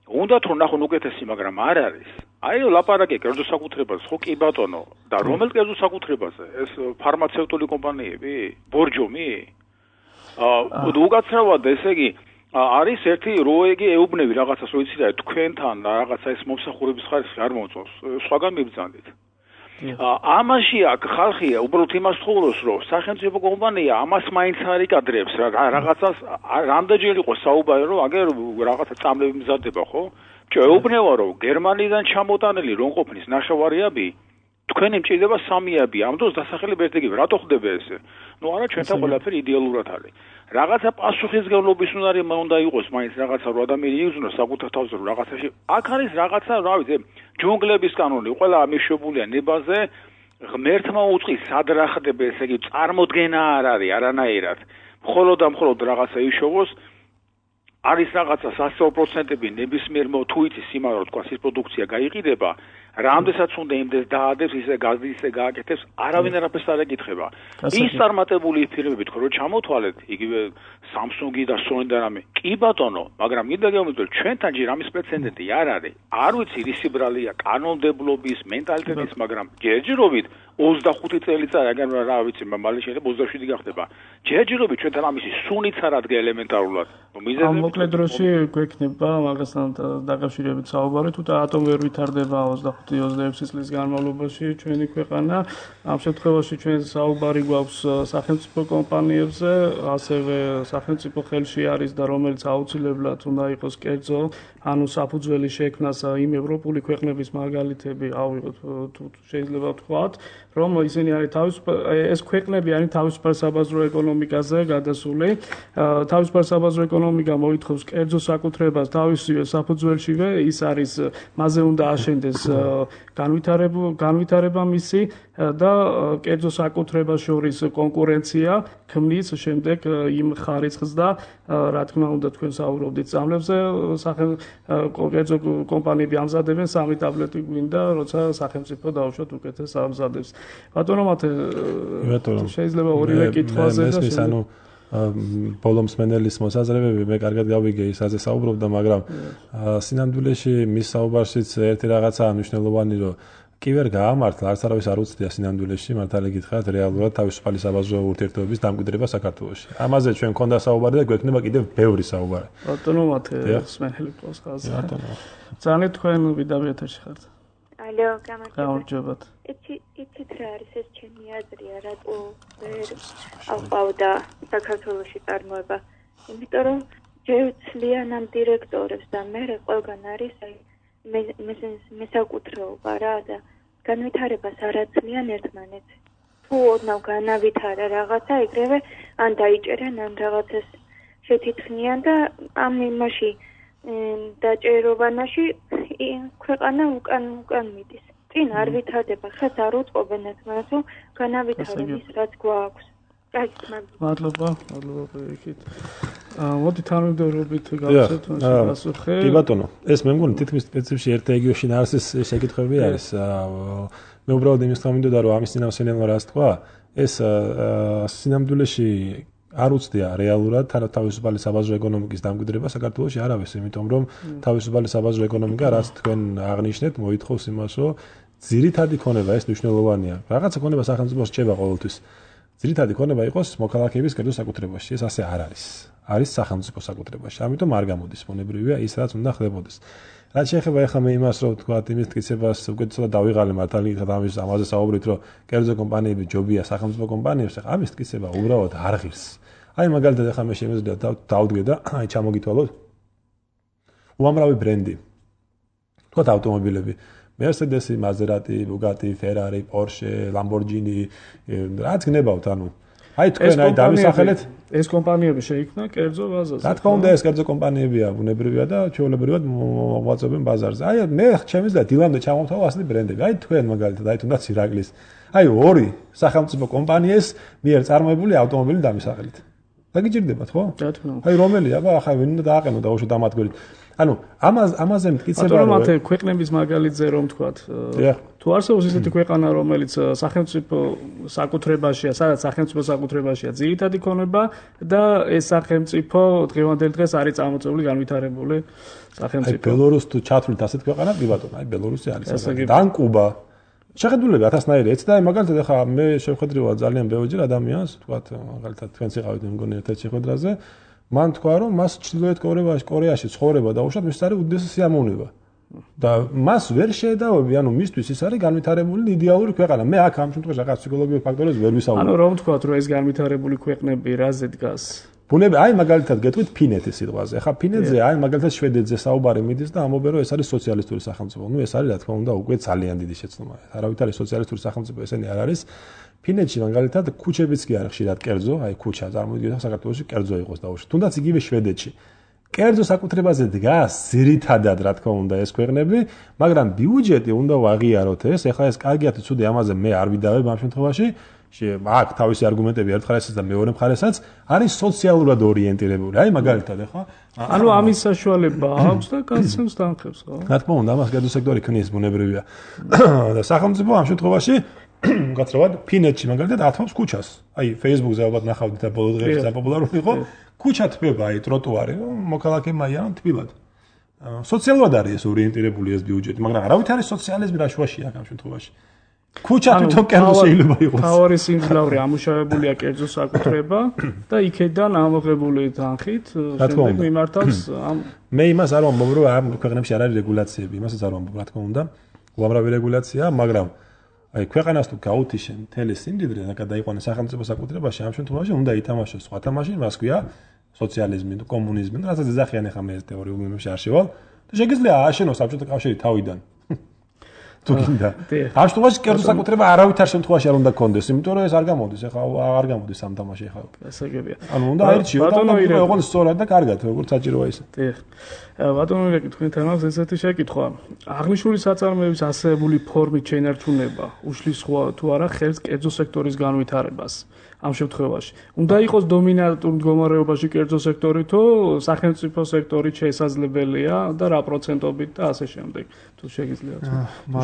უნდათ რომ ნახონ უკეთესი, მაგრამ არ არის. აი ლაპარაკი კერძო საკუთრებაზე, ხო კი ბატონო, და რომელ კერძო საკუთრებაზე? ეს ფარმაცევტული კომპანიები, ბორჯომი? აა უკაცრავად ესე იგი არის ერთი როეგი ეუბნები რაღაცას რო იცი რა თქვენთან რაღაცა ეს მომსახურების ხარისხი არ მომწონს სხვაგან მიბრძანდით. ამაში აქ ხალხია უბრალოდ იმას თხოვს რომ სახელმწიფო კომპანია ამას მაინც არ იკადრებს რა რაღაცას რამდენჯერ იყო საუბარი რომ აგერ რაღაცა წამლები მზადდება ხო? ჩვენ ეუბნება რომ გერმანიდან ჩამოტანილი რომ ყოფნის ნაშავარიები თქვენი მჭირდება სამიები, ამ დროს დასახელებ ერთ-ერთი რატო ხდება ესე? ნუ არა ჩვენთან ყველაფერი იდეალურად არის. რაღაცა პასუხისგებლობის უნარი უნდა იყოს, მაინც რაღაცა რომ ადამიანი იგრძნოს საკუთარ თავზე რომ რაღაცაში. აქ არის რაღაცა, რა ვიცი, ჯუნგლების კანონი, ყველა მიშვებულია ნებაზე, ღმერთმა უწყის სად რა ხდება, ესე იგი წარმოდგენა არ არის არანაირად. მხოლოდ და მხოლოდ რაღაცა იშოვოს არის რაღაცა სასწაულ პროცენტები ნებისმიერ თუ იცის იმარო თქვა ის პროდუქცია გაიყიდება რამდენსაც უნდა იმდეს დაადებს ისე გაზი ისე გააკეთებს არავინ არაფერს არ ეკითხება ის წარმატებული ფირმები თქო რომ ჩამოთვალეთ იგივე Samsung-ი და Sony და რამე კი ბატონო მაგრამ მინდა გეუბნებოდეთ ჩვენთან ჯერ ამის პრეცედენტი არ არის არ ვიცი ისი ბრალია კანონმდებლობის მენტალიტეტის მაგრამ ჯერჯერობით ოცდახუთი წელიწად აგერ რა ვიცი მალე შეიძლება ოცდაშვიდი გახდება ჯერჯერობით ჩვენთან ამისი სუნიც არ ადგა ელემენტარულად ამ მოკლედ დროში გვექნება მაგასთან დაკავშირებით საუბარი თუ ატომ ვერ ვითარდება ოცდახუთი ოცდაექვსი წლის განმავლობაში ჩვენი ქვეყანა ამ შემთხვევაში ჩვენ საუბარი გვაქვს სახელმწიფო კომპანიებზე ასევე სახელმწიფო ხელში არის და რომელიც აუცილებლად უნდა იყოს კერძო ანუ საფუძველი შექმნას იმ ევროპული ქვეყნების მაგალითები ავიღოთ თუ შეიძლება ვთქვათ რომ ისინი არის თავის ეს ქვეყნები არის თავისუფალ საბაზრო ეკონომიკაზე გადასული თავისუფალ საბაზრო ეკონომიკა მოითხოვს კერძო საკუთრებას თავისივე საფუძველშივე ის არის მასზე უნდა აშენდეს განვითარება განვითარება მისი და კერძო საკუთრებას შორის კონკურენცია ქმნის შემდეგ იმ ხარისხს და რა თქმა უნდა თქვენ საუბრობდით წამლებზე კერძო კომპანიები ამზადებენ სამი ტაბლეტი გვინდა როცა სახელმწიფო დაუშვათ უკეთეს ამზადებს. ბატონო მათე შეიძლება ორივე კითხვაზე და ბოლომს მენელის მოსაზრებები მე კარგად გავიგე ისაზე საუბრობდა, მაგრამ სინამდვილეში მის საუბარშიც ერთი რაღაცაა მნიშვნელოვანი, რომ კი ვერ გაამართლა, არც არავის არ უცდია სინამდვილეში, მართალი გითხრათ, რეალურად თავისუფალი საბაზრო ურთიერთობების დამკვიდრება საქართველოში. ამაზე ჩვენ მქონდა საუბარი და გვექნება კიდევ ბევრი საუბარი. ბატონო მათე სმენელი ყავს ხაზი. ბატონო. ძალიან თქვენ ვიდავი ეთერში ხართ. ალო, გამარჯობათ. იცი იცით რა არის ეს ჩემი აზრია, რატო ვერ აყვავდა საქართველოში წარმოება. იმიტომ რომ ჯერ ცლიან ამ დირექტორებს და მე ყველგან არის აი მესაკუთრეობა რა და განვითარებას არ აცლიან ერთმანეთს. თუ ოდნავ განავითარა რაღაცა, ეგრევე ან დაიჭერენ, ან რაღაცას შეთითხნიან და ამ იმაში დაჭერობანაში ქვეყანა უკან უკან მიდის. წინ არ ვითარდება, ხეთ არ უწყობენ ერთმანეთს, რომ განავითარონ ის რაც გვაქვს. მადლობა, მადლობა პირიქით. მოდი თანმიმდევრობით გავცეთ პასუხი. კი ბატონო, ეს მე მგონი თითქმის პრინციპში ერთ რეგიონში ნარსის შეკითხვები არის. მე უბრალოდ იმის თქმა მინდოდა, რომ ამის წინასწარ რას თქვა, ეს სინამდვილეში არ უცდია რეალურად თავისუფალი საბაზრო ეკონომიკის დამკვიდრება საქართველოში არავის, იმიტომ რომ თავისუფალი საბაზრო ეკონომიკა, რაც თქვენ აღნიშნეთ, მოითხოვს იმას, რომ ძირითადი ქონება ეს მნიშვნელოვანია. რაღაცა ქონება სახელმწიფოს რჩება ყოველთვის. ძირითადი ქონება იყოს მოქალაქეების კერძო საკუთრებაში. ეს ასე არ არის. არის სახელმწიფო საკუთრებაში. ამიტომ არ გამოდის მონებრივია ის, რაც უნდა ხდებოდეს. რაც შეეხება ახლა მე იმას, რომ თქვა იმის მტკიცებას უკეთესად დავიღალე მართალი გითხრათ ამის ამაზე საუბრით, რომ კერძო კომპანიები ჯობია სახელმწიფო კომპანიებს, ახლა ამის მტკიცება უბრალოდ არ ღირს. აი მაგალითად ახლა მე შემიძლია დავდგე და აი ჩამოგითვალოთ. უამრავი ბრენდი. თქვათ ავტომობილები. Mercedes, Maserati, Bugatti, Ferrari, Porsche, Lamborghini, რაც გნებავთ, ანუ აი თქვენ აი დამისახელეთ ეს კომპანიები შეიქმნა კერძო ბაზაზე. რა თქმა უნდა ეს კერძო კომპანიებია, ბუნებრივია და ჩვეულებრივად მოღვაწებენ ბაზარზე. აი მე ჩემს და დილამდე ჩამოვთავ ასეთი ბრენდები. აი თქვენ მაგალითად აი თუნდაც ირაკლის. აი ორი სახელმწიფო კომპანიეს მიერ წარმოებული ავტომობილი დამისახელეთ. დაგიჭირდებათ ხო? რა თქმა უნდა. აი რომელი აბა ახლა ვინ უნდა დააყენო და უშო დამატგვერით. ანუ ამაზე ამაზე მტკიცება რომ მათე ქვეყნების მაგალითზე რომ თქვათ თუ არსებობს ისეთი ქვეყანა რომელიც სახელმწიფო საკუთრებაშია, სადაც სახელმწიფო საკუთრებაშია ძირითადი ქონება და ეს სახელმწიფო დღევანდელ დღეს არის წარმოწეული განვითარებული სახელმწიფო. აი ბელორუსი თუ ჩათვლით ასეთ ქვეყანად, კი ბატონო, აი ბელორუსი არის საკუთრება. დან კუბა. შეხედულები ათასნაირი ეც და აი მაგალითად ახლა მე შევხედრივად ძალიან ბევრჯერ ადამიანს, თქვათ მაგალითად თქვენც იყავით მე მგონი ერთ-ერთ შეხვედრაზე მან თქვა რომ მას ჩრდილოეთ კორეაში კორეაში ცხოვრება დაუშვათ მის არის უდიდესი სიამოვნება და მას ვერ შეედავები ანუ მისთვის ის არის განვითარებული იდეალური ქვეყანა მე აქ ამ შემთხვევაში რაღაც ფსიქოლოგიურ ფაქტორებს ვერ ვისაუბრებ ანუ რომ თქვა რომ ეს განვითარებული ქვეყნები რაზე დგას ბუნები აი მაგალითად გეტყვით ფინეთის სიტყვაზე ახლა ფინეთზე აი მაგალითად შვედეთზე საუბარი მიდის და ამობენ რომ ეს არის სოციალისტური სახელმწიფო ნუ ეს არის რა თქმა უნდა უკვე ძალიან დიდი შეცდომა არავით არის სოციალისტური სახელმწიფო ესენი არ არის ფინეთში მაგალითად ქუჩებიც კი არის ხშირად კერძო, აი ქუჩა წარმოვიდგინოთ საქართველოში კერძო იყოს დაუშვათ. თუნდაც იგივე შვედეთში. კერძო საკუთრებაზე დგას ძირითადად რა თქმა უნდა ეს ქვეყნები, მაგრამ ბიუჯეტი უნდა ვაღიაროთ ეს. ეხლა ეს კარგია თუ ცუდი ამაზე მე არ ვიდავებ ამ შემთხვევაში. აქ თავისი არგუმენტები ერთ მხარესაც და მეორე მხარესაც არის სოციალურად ორიენტირებული. აი მაგალითად ეხლა ანუ ამის საშუალება აქვს და გასცემს თანხებს, ხო? რა თქმა უნდა, ამას კერძო სექტორი ქმნის ბუნებრივია. და სახელმწიფო ამ შემთხვევაში გაცრავად ფინეთში მაგალითად ათმობს ქუჩას. აი Facebook-ზე ალბათ ნახავდით და ბოლო დღეებში საპოპულარული იყო. ქუჩა თბება აი ტროტუარი, მოქალაქეებმა აიან თბილად. სოციალურად არის ეს ორიენტირებული ეს ბიუჯეტი, მაგრამ არავით არის სოციალიზმი რა შუაში აქ ამ შემთხვევაში. ქუჩა თვითონ კერძო შეიძლება იყოს. თავარი სიმძლავრე ამუშავებულია კერძო საკუთრება და იქედან ამოღებული თანხით შემდეგ მიმართავს ამ მე იმას არ ვამბობ რომ ამ ქვეყნებში არ არის რეგულაციები, იმასაც არ ვამბობ რა თქმა უნდა. უამრავი რეგულაციაა, მაგრამ აი ქვეყანას თუ გაუთიშენ მთელი სიმდიდრე და გადაიყვანეს სახელმწიფო საკუთრებაში ამ შემთხვევაში უნდა ითამაშოს სხვა თამაში, მას ქვია სოციალიზმი თუ კომუნიზმი, რასაც ეძახიან ახლა მე ეს თეორიულ მიმებში არ შევალ და შეგიძლია ააშენოს საბჭოთა კავშირი თავიდან. თუ გინდა. ამ შემთხვევაში კერძო საკუთრება არავითარ შემთხვევაში არ უნდა კონდეს, იმიტომ რომ ეს არ გამოდის, ეხლა აღარ გამოდის ამ თამაში ეხლა. გასაგებია. ანუ უნდა აირჩიო და ოღონდ სწორად და კარგად, როგორც საჭიროა ისე. დიახ. ბატონო ირაკი, თქვენთან აქვს ესეთი შეკითხვა. აღნიშნული საწარმოების ასეებული ფორმით შენარჩუნება უშლის თუ არა ხელს კერძო სექტორის განვითარებას. ამ შემთხვევაში უნდა იყოს დომინანტურ მდგომარეობაში კერძო სექტორი თუ სახელმწიფო სექტორი შესაძლებელია და რა პროცენტობით და ასე შემდეგ. თუ შეგიძლიათ.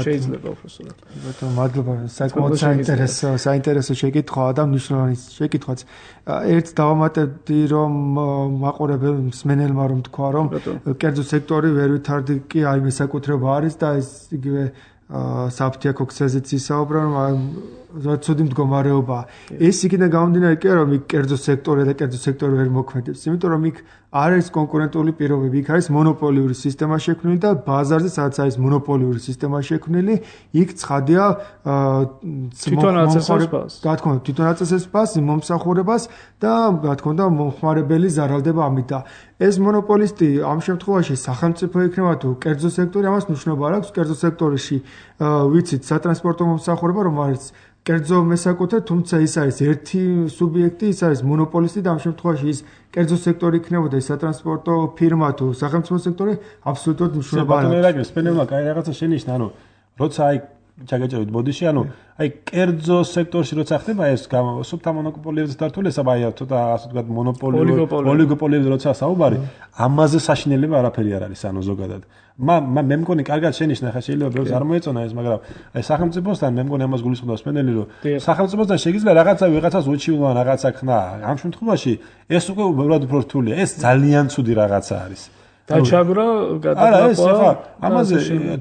შეიძლება უბრალოდ. ბატონო, მადლობა. საკმაოდ საინტერესო, საინტერესო შეკითხვაა და მნიშვნელოვანი შეკითხვაც. ერთ დავამატებდი რომ მაყურებელ მსმენელმა რომ თქვა რომ კერძო სექტორი ვერ ვითარდი კი აი მესაკუთრება არის და ეს იგივე საფთიაქო ქსეზეც ისაუბრა რომ ცუდი მდგომარეობა. ეს იქიდან გამომდინარე კი რომ იქ კერძო სექტორი და კერძო სექტორი ვერ მოქმედებს, იმიტომ რომ იქ არ არის კონკურენტული პირობები, იქ არის მონოპოლიური სისტემა შექმნილი და ბაზარზე სადაც არის მონოპოლიური სისტემა შექმნილი, იქ ცხადია თვითონ აწესებს ფას. რა თქმა უნდა, თვითონ აწესებს ფას, მომსახურებას და რა თქმა უნდა მომხმარებელი ზარალდება ამით და ეს მონოპოლისტი ამ შემთხვევაში სახელმწიფო იქნება თუ კერძო სექტორი, ამას მნიშვნელობა არ აქვს. კერძო სექტორში ვიცით სატრანსპორტო მომსახურება რომ არის კერძო მესაკუთრე, თუმცა ის არის ერთი სუბიექტი, ის არის მონოპოლისტი და ამ შემთხვევაში ის კერძო სექტორი იქნებოდა ის სატრანსპორტო ფირმა თუ სახელმწიფო სექტორი, აბსოლუტურად მნიშვნელობა არ აქვს. ბატონო ირაკი, სპენელმა კაი რაღაცა შენიშნა, ანუ როცა აი ჩაგეჭერით ბოდიში, ანუ აი კერძო სექტორში როცა ხდება ეს სუბთა მონოპოლიებზე დართულესა, აი ცოტა ასე ვთქვათ მონოპოლიური ოლიგოპოლიებზე როცა საუბარი, ამაზე საშინელება არაფერი არ არის, ანუ ზოგადად. მა მე მგონი კარგად შენიშნა, ხა შეიძლება ბევრს არ მოეწონა ეს, მაგრამ აი სახელმწიფოსთან მე მგონი ამას გულისხმობს სპენელი, რომ სახელმწიფოსთან შეგიძლია რაღაცა ვიღაცას უჩივლან რაღაცა ხნა. ამ შემთხვევაში ეს უკვე უბრალოდ უფრო რთულია. ეს ძალიან ცუდი რაღაცა არის. დაჩაგვრა გადაგაყვა. არა, ეს ხა ამაზე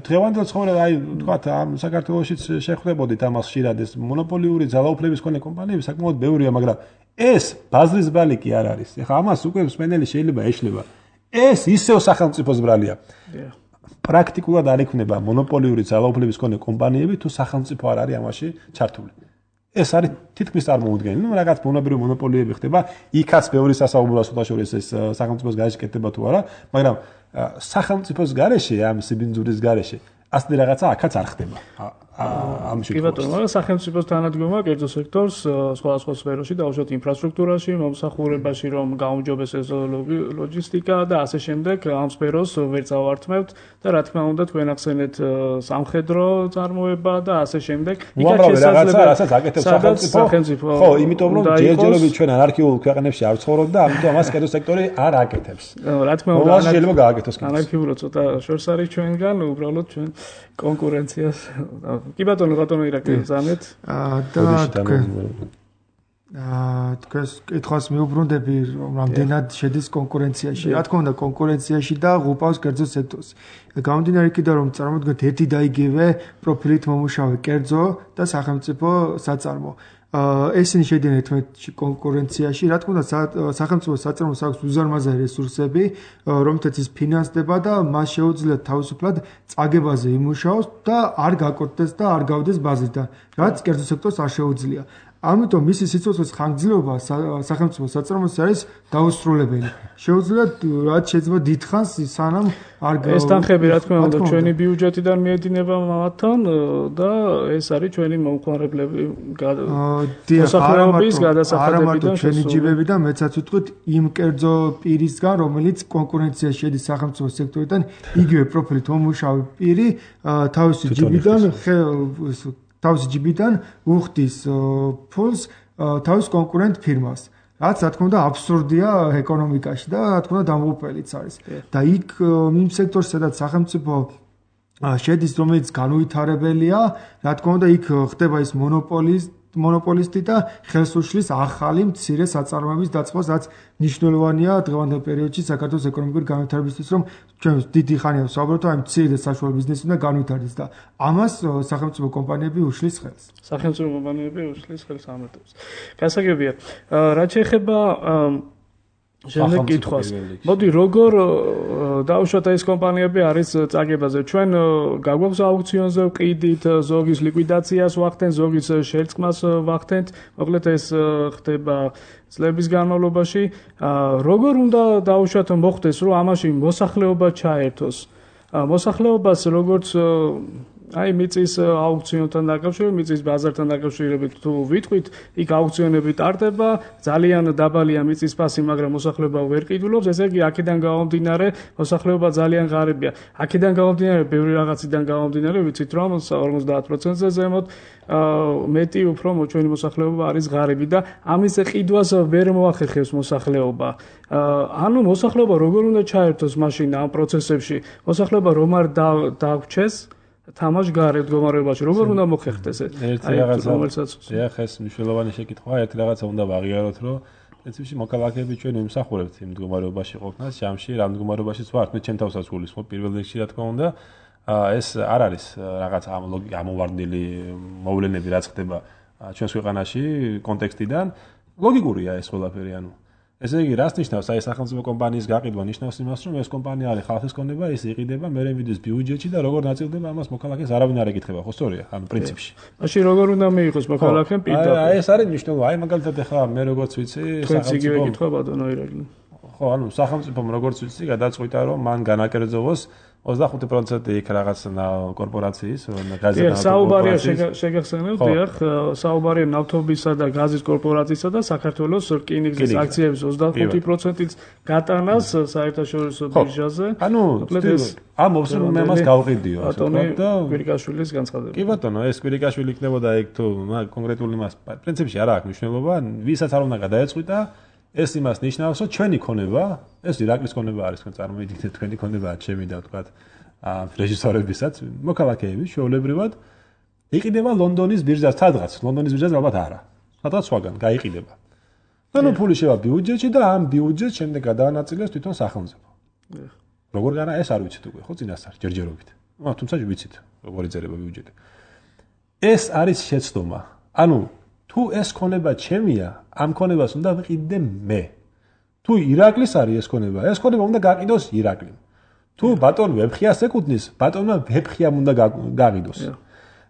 დღევანდელ ცხოვრება აი ვთქვათ ამ საქართველოშიც შეხვდებოდით ამას ხშირად ეს მონოპოლიური ძალაუფლების მქონე კომპანიები საკმაოდ ბევრია, მაგრამ ეს ბაზრის ბრალი კი არ არის. ეხლა ამას უკვე სპენელი შეიძლება ეშლება. ეს ისევ სახელმწიფოს ბრალია. პრაქტიკულად არ იქნება მონოპოლიური ძალაუფლების მქონე კომპანიები თუ სახელმწიფო არ არის ამაში ჩართული. ეს არის თითქმის წარმოუდგენელი. ნუ რაღაც მონოპოლიური მონოპოლიები ხდება, იქაც ბევრი სასაუბრო სულაშორის ეს სახელმწიფოს გარეშე კეთდება თუ არა, მაგრამ სახელმწიფოს გარეშე ამ სიბინძურის გარეშე ასეთი რაღაცა აქაც არ ხდება. ამ შემთხვევაში. კი ბატონო, მაგრამ სახელმწიფოს თანადგომა კერძო სექტორს სხვადასხვა სფეროში, დაუშვათ ინფრასტრუქტურაში, მომსახურებაში, რომ გაუმჯობესდეს ლოჯისტიკა და ასე შემდეგ, ამ სფეროს ვერ წავართმევთ და რა თქმა უნდა თქვენ ახსენეთ სამხედრო წარმოება და ასე შემდეგ. იქაც შესაძლებელი რასაც აკეთებს სახელმწიფო. ხო, იმიტომ რომ ჯერჯერობით ჩვენ ანარქიულ ქვეყნებში არ ვცხოვრობ და ამიტომ ამას კერძო სექტორი არ აკეთებს. რა თქმა უნდა, შეიძლება გააკეთოს. ანარქიულად ცოტა შორს არის ჩვენგან, უბრალოდ ჩვენ კონკურენციას კი ბატონო ბატონო ირაკი ზამეთ და აა თქვენ კითხვას მიუბრუნდები რომ რამდენად შედის კონკურენციაში. რა თქმა უნდა კონკურენციაში და ღუპავს კერძო სექტორს. გამომდინარე იქიდან რომ წარმოიდგინეთ ერთი და იგივე პროფილით მომუშავე კერძო და სახელმწიფო საწარმო. ესენი შედიან ერთმანეთში კონკურენციაში. რა თქმა უნდა სახელმწიფო საწარმოს აქვს უზარმაზარი რესურსები, რომლითაც ის ფინანსდება და მას შეუძლია თავისუფლად წაგებაზე იმუშაოს და არ გაკორტდეს და არ გავდეს ბაზრიდან, რაც კერძო სექტორს არ შეუძლია. ამიტომ მისი სიცოცხლის ხანგრძლივობა სახელმწიფო საწარმოში არის დაუსრულებელი. შეუძლია რაც შეიძლება დიდხანს სანამ არ ეს თანხები რა თქმა უნდა ჩვენი ბიუჯეტიდან მიედინება მათთან და ეს არის ჩვენი მომხმარებლები მოსახლეობის გადასახადებიდან ჩვენი ჯიბებიდან მეცაც ვიტყვით იმ კერძო პირისგან რომელიც კონკურენციაში შედის სახელმწიფო სექტორიდან იგივე პროფილით მომუშავე პირი თავისი ჯიბიდან თავისი ჯიბიდან უხდის ფულს თავის კონკურენტ ფირმას. რაც რა თქმა უნდა აბსურდია ეკონომიკაში და რა თქმა უნდა დამოუკველიც არის. და იქ იმ სექტორში სადაც სახელმწიფო შედის, რომელიც განუვითარებელია, რა თქმა უნდა იქ ხდება ის მონოპოლის მონოპოლისტი და ხელს უშლის ახალი მცირე საწარმოების დაწყებას, რაც მნიშვნელოვანია დღევანდელ პერიოდში საქართველოს ეკონომიკური განვითარებისთვის, რომ ჩვენ დიდი ხანია ვსაუბრობთ აი მცირე და საშუალო ბიზნესი უნდა განვითარდეს და ამას სახელმწიფო კომპანიები უშლის ხელს. სახელმწიფო კომპანიები უშლის ხელს ამატებს. გასაგებია. რაც შეეხება შემდეგ კითხვას. მოდი როგორ დაუშვათ ეს კომპანიები არის წაგებაზე. ჩვენ გაგვაქვს აუქციონზე ვყიდით, ზოგის ლიკვიდაციას ვახდენ, ზოგის შერწყმას ვახდენთ. მოკლედ ეს ხდება წლების განმავლობაში. როგორ უნდა დაუშვათ მოხდეს, რომ ამაში მოსახლეობა ჩაერთოს? მოსახლეობას როგორც აი მიწის აუქციონთან დაკავშირებით, მიწის ბაზართან დაკავშირებით თუ ვიტყვით, იქ აუქციონები ტარდება, ძალიან დაბალია მიწის ფასი, მაგრამ მოსახლეობა ვერ ყიდულობს, ესე იგი აქედან გამომდინარე მოსახლეობა ძალიან ღარიბია. აქედან გამომდინარე, ბევრი რაღაციდან გამომდინარე, ვიცით რომ ორმოცდაათ პროცენტზე ზემოთ მეტი უფრო ჩვენი მოსახლეობა არის ღარიბი და ამის ყიდვას ვერ მოახერხებს მოსახლეობა. ანუ მოსახლეობა როგორ უნდა ჩაერთოს მაშინ ამ პროცესებში? მოსახლეობა რომ არ დაგვჩეს თამაშ გარეთ მდგომარეობაში როგორ უნდა მოხერხდეს ეს? ერთი რაღაცა რომელსაც ეხ ეს მნიშვნელოვანი შეკითხვაა, ერთი რაღაცა უნდა ვაღიაროთ, რომ პრინციპში მოქალაქეები ჩვენ ვიმსახურებთ იმ მდგომარეობაში ყოფნას, ჯამში რა მდგომარეობაშიც ვართ, მე ჩემ თავსაც გულისხმობ პირველ რიგში რა თქმა უნდა, ეს არ არის რაღაც ამოვარდნილი მოვლენები რაც ხდება ჩვენს ქვეყანაში კონტექსტიდან, ლოგიკურია ეს ყველაფერი, ანუ ესე იგი, რას ნიშნავს აი სახელმწიფო კომპანიის გაყიდვა? ნიშნავს იმას, რომ ეს კომპანია არის ხალხის კონდება, ის იყიდება, მერე მიდის ბიუჯეტში და როგორ ნაწილდება ამას მოქალაქეს არავინ არ ეკითხება, ხო სწორია? ანუ პრინციპში. მაშინ როგორ უნდა მიიღოს მოქალაქემ პირდაპირ? აი ეს არის მნიშვნელოვანი. აი მაგალითად ახლა მე როგორც ვიცი, სახელმწიფო ეკითხვა ბატონო ირაკლი. ხო, ანუ სახელმწიფომ როგორც ვიცი, გადაწყვიტა, რომ მან განაკერძოვოს ოცდახუთი პროცენტი იქ რაღაც კორპორაციის, გაზის საუბარია შეგახსენებთ, დიახ, საუბარია ნავთობისა და გაზის კორპორაციისა და საქართველოს რკინიგზის აქციების ოცდახუთი პროცენტიც გატანას საერთაშორისო ბირჟაზე. ანუ ამ ოფსრულ მე მას გავყიდიო, და კვირიკაშვილის განცხადება. კი ბატონო, ეს კვირიკაშვილი იქნებოდა იქ თუ კონკრეტული მას პრინციპში არ აქვს მნიშვნელობა, ვისაც არ უნდა გადაეწყვიტა ეს იმას ნიშნავს, რომ ჩვენი ქონება, ეს ირაკლის ქონება არის, თქვენ წარმოიდგინეთ, თქვენი ქონებაა ჩემი და ვთქვათ, აა რეჟისორებისაც, მოქალაქეების შეულებრივად იყიდება ლონდონის ბირჟას, სადღაც, ლონდონის ბირჟაზე ალბათ არა. სადღაც სხვაგან გაიყიდება. და ნუ ფული შევა ბიუჯეტში და ამ ბიუჯეტს შემდეგ გადაანაწილებს თვითონ სახელმწიფო. როგორ განა ეს არ ვიცით უკვე, ხო, წინასწარ ჯერჯერობით. აა თუმცა ვიცით, როგორ იწერება ბიუჯეტი. ეს არის შეცდომა. ანუ თუ ეს ქონება ჩემია, ამ ქონებას უნდა ვიყიდე მე. თუ ირაკლის არის ეს ქონება, ეს ქონება უნდა გაყიდოს ირაკლიმ. თუ ბატონ ვეფხიას ეკუთვნის, ბატონმა ვეფხიამ უნდა გაყიდოს.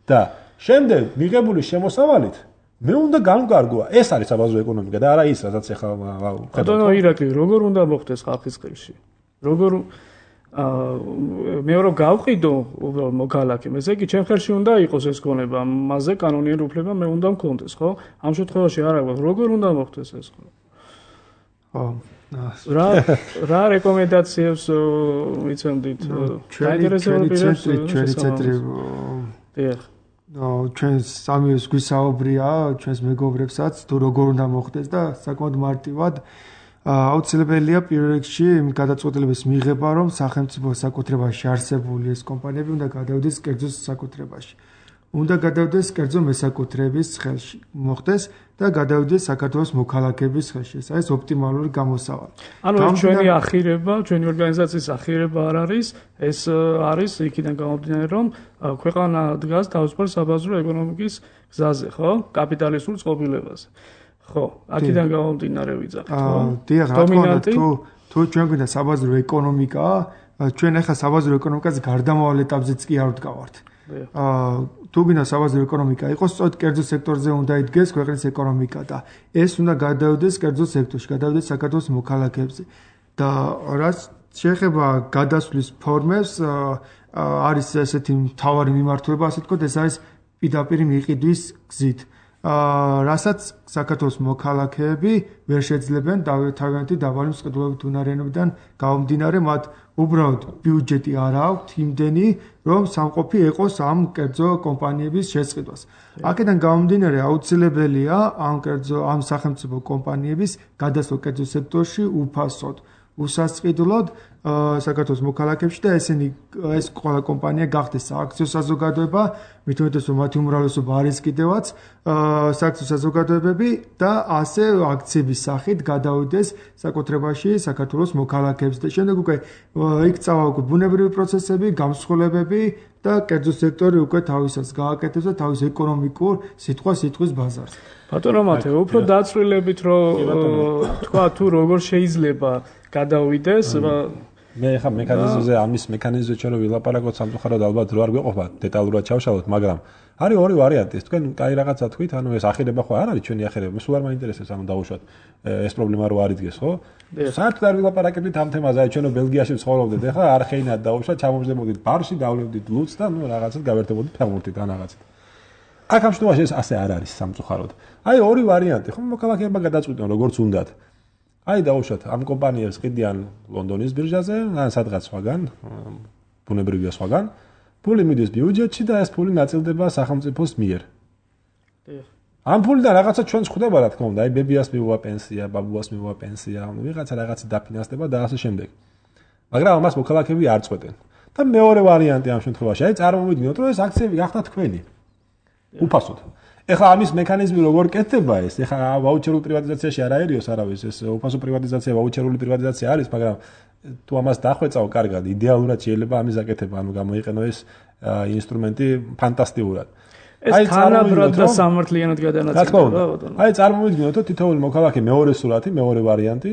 და შემდეგ მიღებული შემოსავალით მე უნდა გამკარგო. ეს არის საბაზრო ეკონომიკა და არა ის, რასაც ახლა ბატონო ირაკლი, როგორ უნდა მოხდეს ხალხის ხელში? როგორ აა მე რომ გავყიდო უბრალოდ მოქალაქემ, ესე იგი ჩემ ხელში უნდა იყოს ეს ქონება, მასზე კანონიერი უფლება მე უნდა მქონდეს, ხო? ამ შემთხვევაში არა გვაქვს, როგორ უნდა მოხდეს ეს ხო? ხო. რა რა რეკომენდაციებს მიცემდით? ჩვენი ცენტრი, ჩვენი ცენტრი დიახ. ნო, ჩვენ სამი გვისაუბრია, ჩვენს მეგობრებსაც თუ როგორ უნდა მოხდეს და საკმაოდ მარტივად აუცილებელია პირველ რიგში გადაწყვეტილების მიღება, რომ სახელმწიფო საკუთრებაში არსებული ეს კომპანიები უნდა გადავიდეს კერძო საკუთრებაში. უნდა გადავიდეს კერძო მესაკუთრეების ხელში, მოხდეს და გადავიდეს საქართველოს მოქალაქეების ხელში. ეს არის ოპტიმალური გამოსავალი. ანუ ეს ჩვენი ახირება, ჩვენი ორგანიზაციის ახირება არ არის, ეს არის იქიდან გამომდინარე, რომ ქვეყანა დგას თავისუფალ საბაზრო ეკონომიკის გზაზე, ხო? კაპიტალისტურ წყობილებაზე. ხო, აქედან გამომდინარე ვიძახით, ხო? დიახ, რა თქმა უნდა, თუ თუ ჩვენ გვინდა საბაზრო ეკონომიკა, ჩვენ ახლა საბაზრო ეკონომიკაზე გარდამავალ ეტაპზეც კი არ ვდგავართ. აა თუ გვინდა საბაზრო ეკონომიკა იყოს, სწორედ კერძო სექტორზე უნდა იდგეს ქვეყნის ეკონომიკა და ეს უნდა გადავიდეს კერძო სექტორში, გადავიდეს საქართველოს მოქალაქეებზე. და რაც შეეხება გადასვლის ფორმებს, არის ესეთი მთავარი მიმართულება, ასე ვთქვათ, ეს არის პირდაპირ მიყიდვის გზით. აა რასაც საქართველოს მოქალაქეები ვერ შეძლებენ თავიანთი დაბალი მსყიდველობით უნარიანობიდან გამომდინარე, მათ უბრალოდ ბიუჯეტი არ აქვთ იმდენი, რომ სამყოფი ეყოს ამ კერძო კომპანიების შესყიდვას. აქედან გამომდინარე აუცილებელია ამ კერძო ამ სახელმწიფო კომპანიების გადასვლა კერძო სექტორში უფასოდ, უსასყიდლოდ საქართველოს მოქალაქეებში და ესენი ეს ყველა კომპანია გახდეს სააქციო საზოგადოება, მით უმეტეს რომ მათი უმრავლესობა არის კიდევაც სააქციო საზოგადოებები და ასე აქციების სახით გადავიდეს საკუთრებაში საქართველოს მოქალაქეებს და შემდეგ უკვე იქ წავა უკვე ბუნებრივი პროცესები, გამსხვილებები და კერძო სექტორი უკვე თავისას გააკეთებს და თავის ეკონომიკურ სიტყვა-სიტყვის ბაზარს. ბატონო მათე, უფრო დაწვრილებით რომ თქვა თუ როგორ შეიძლება გადავიდეს მე ხა მექანიზმზე ამის მექანიზმზე ჩვენ ვილაპარაკოთ სამწუხაროდ ალბათ რო არ გვეყოფა დეტალურად ჩავშალოთ, მაგრამ არის ორი ვარიანტი. ეს თქვენ კაი რაღაცა თქვით, ანუ ეს ახირება ხო არ არის ჩვენი ახირება. სულ არ მაინტერესებს ანუ დავუშვათ ეს პრობლემა რო არ იდგეს, ხო? საერთოდ არ ვილაპარაკებდით ამ თემაზე, აი ჩვენო ბელგიაში ცხოვრობდით, ეხლა არხეინად დავუშვათ, ჩამომждებოდით ბარში, დავლევდით ლუცს და ნუ რაღაცად გავერთებოდით ფეხბურთით ან რაღაცით. აქ ამ შემთხვევაში ეს ასე არ არის სამწუხაროდ. აი ორი ვარიანტი, ხო მოქალაქეებმა გადაწყვიტონ როგორც უნდათ. აი დავუშვათ ამ კომპანიებს ყიდიან ლონდონის ბირჟაზე, ან სადღაც სხვაგან, ბუნებრივია სხვაგან. ფული მიდის ბიუჯეტში და ეს ფული ნაწილდება სახელმწიფოს მიერ. ამ ფულიდან რაღაცა ჩვენს ხვდება რა თქმა უნდა, აი ბებიას მიუვა პენსია, ბაბუას მიუვა პენსია, ანუ ვიღაცა რაღაცა დაფინანსდება და ასე შემდეგ. მაგრამ ამას მოქალაქეები არ წყვეტენ. და მეორე ვარიანტი ამ შემთხვევაში, აი წარმოვიდგინოთ, რომ ეს აქციები გახდათ თქვენი. უფასოდ. ეხლა ამის მექანიზმი როგორ კეთდება ეს? ეხლა ვაუჩერულ პრივატიზაციაში არ აერიოს არავის, ეს უფასო პრივატიზაცია, ვაუჩერული პრივატიზაცია არის, მაგრამ თუ ამას დახვეწავ კარგად, იდეალურად შეიძლება ამის გაკეთება, ანუ გამოიყენო ეს ინსტრუმენტი ფანტასტიკურად. ეს თანაბრად და სამართლიანად გადანაწილება. აი წარმოვიდგინოთ, რომ თითოეული მოქალაქე მეორე სურათი, მეორე ვარიანტი,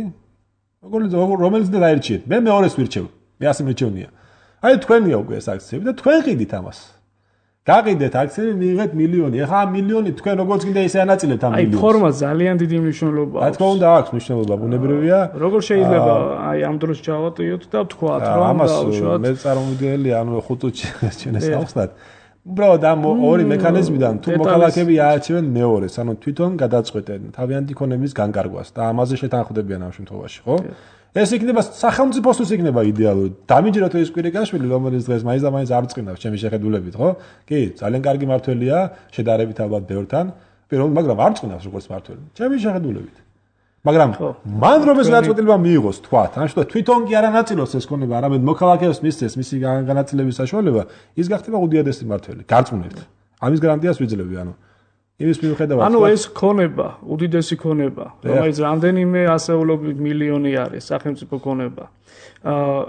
რომელიც და დაერჩიეთ. მე მეორეს ვირჩევ. მე ასე მირჩევნია. აი თქვენია უკვე ეს აქციები და თქვენ ყიდით ამას. გაყიდეთ აქციები, მიიღეთ მილიონი. ეხლა ამ მილიონი თქვენ როგორც კიდე ისე ანაწილებთ ამ მილიონს. აი ფორმა ძალიან დიდი მნიშვნელობა აქვს. რა თქმა უნდა აქვს მნიშვნელობა, ბუნებრივია. როგორ შეიძლება აი ამ დროს ჩავატიოთ და ვთქვათ, რომ დავუშვათ. მე წარმოვიდგენელი, ანუ ხუთ წუთში ჩვენ ეს ავხსნათ. უბრალოდ ამ ორი მექანიზმიდან თუ მოქალაქეები აარჩევენ მეორეს, ანუ თვითონ გადაწყვეტენ თავიანთი ქონების განკარგვას და ამაზე შეთანხმდებიან ამ შემთხვევაში, ხო? ეს იქნება სახელმწიფოსთვის იქნება იდეალური. დამიჯეროთ ეს კვირიკაშვილი, რომელიც დღეს მაინც და მაინც არ წqინავს ჩემი შეხედულებით, ხო? კი, ძალიან კარგი მართველია, შედარებით ალბათ ბევრთან, პირველ მაგრამ არ წqინავს როგორც მართველი. ჩემი შეხედულებით. მაგრამ მან რომ ეს გადაწყვეტილება მიიღოს, თქვათ, ან შეთო თვითონ კი არ ანაწილოს ეს ქონება, არამედ მოქალაქეებს მისცეს მისი განაწილების საშუალება, ის გახდება უდიადესი მართველი. გარწმუნებთ. ამის გარანტიას ვიძლევი, ანუ იმის მიუხედავად ანუ ეს ქონება, უდიდესი ქონება, რომელიც რამდენიმე ასეულობით მილიონი არის სახელმწიფო ქონება.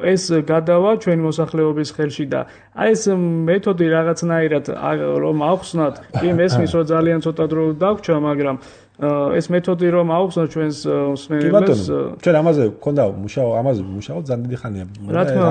ეს გადავა ჩვენი მოსახლეობის ხელში და აი ეს მეთოდი რაღაცნაირად რომ ავხსნათ, კი მესმის რომ ძალიან ცოტა დრო დაგვრჩა, მაგრამ ეს მეთოდი რომ ავხსნათ ჩვენს მსმენელებს, ჩვენ ამაზე გქონდა მუშაო, ამაზე მუშაო ძალიან დიდი ხანია.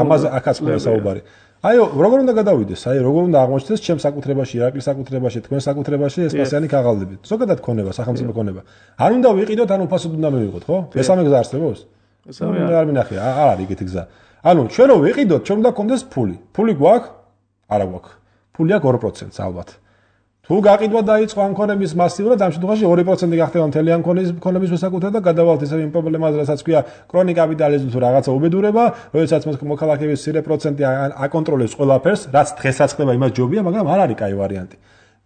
ამაზე აქაც ყო საუბარი. აიო, როგორ უნდა გადავიდეს? აი, როგორ უნდა აღმოჩნდეს ჩემს საკუთრებაში, ირაკლის საკუთრებაში, თქვენ საკუთრებაში ეს პასიანი ქაღალდებით. ზოგადად ქონება, სახელმწიფო ქონება. არ უნდა ვიყიდოთ, ან უფასოდ უნდა მივიღოთ, ხო? მესამე გზა არსებობს? მესამე არ მინახია, არ არის ეგეთი გზა. ანუ ჩვენ რო ვიყიდოთ, ჩვენ უნდა გქონდეს ფული. ფული გვაქვს? არა გვაქვს. ფული აქვს ორი პროცენტი ალბათ. თუ გაყიდვა დაიწყო ამ ქონების მასიურად, ამ შემთხვევაში ორი პროცენტი გახდება მთელი ამ ქონების მოსაკუთრება და გადავალთ ისევ იმ პრობლემაზე, რასაც ქვია კრონიკ კაპიტალიზმი თუ რაღაცა უბედურება, როდესაც მოქალაქეების მცირე პროცენტი აკონტროლებს ყველაფერს, რაც დღესაც ხდება, იმას ჯობია, მაგრამ არ არის კაი ვარიანტი.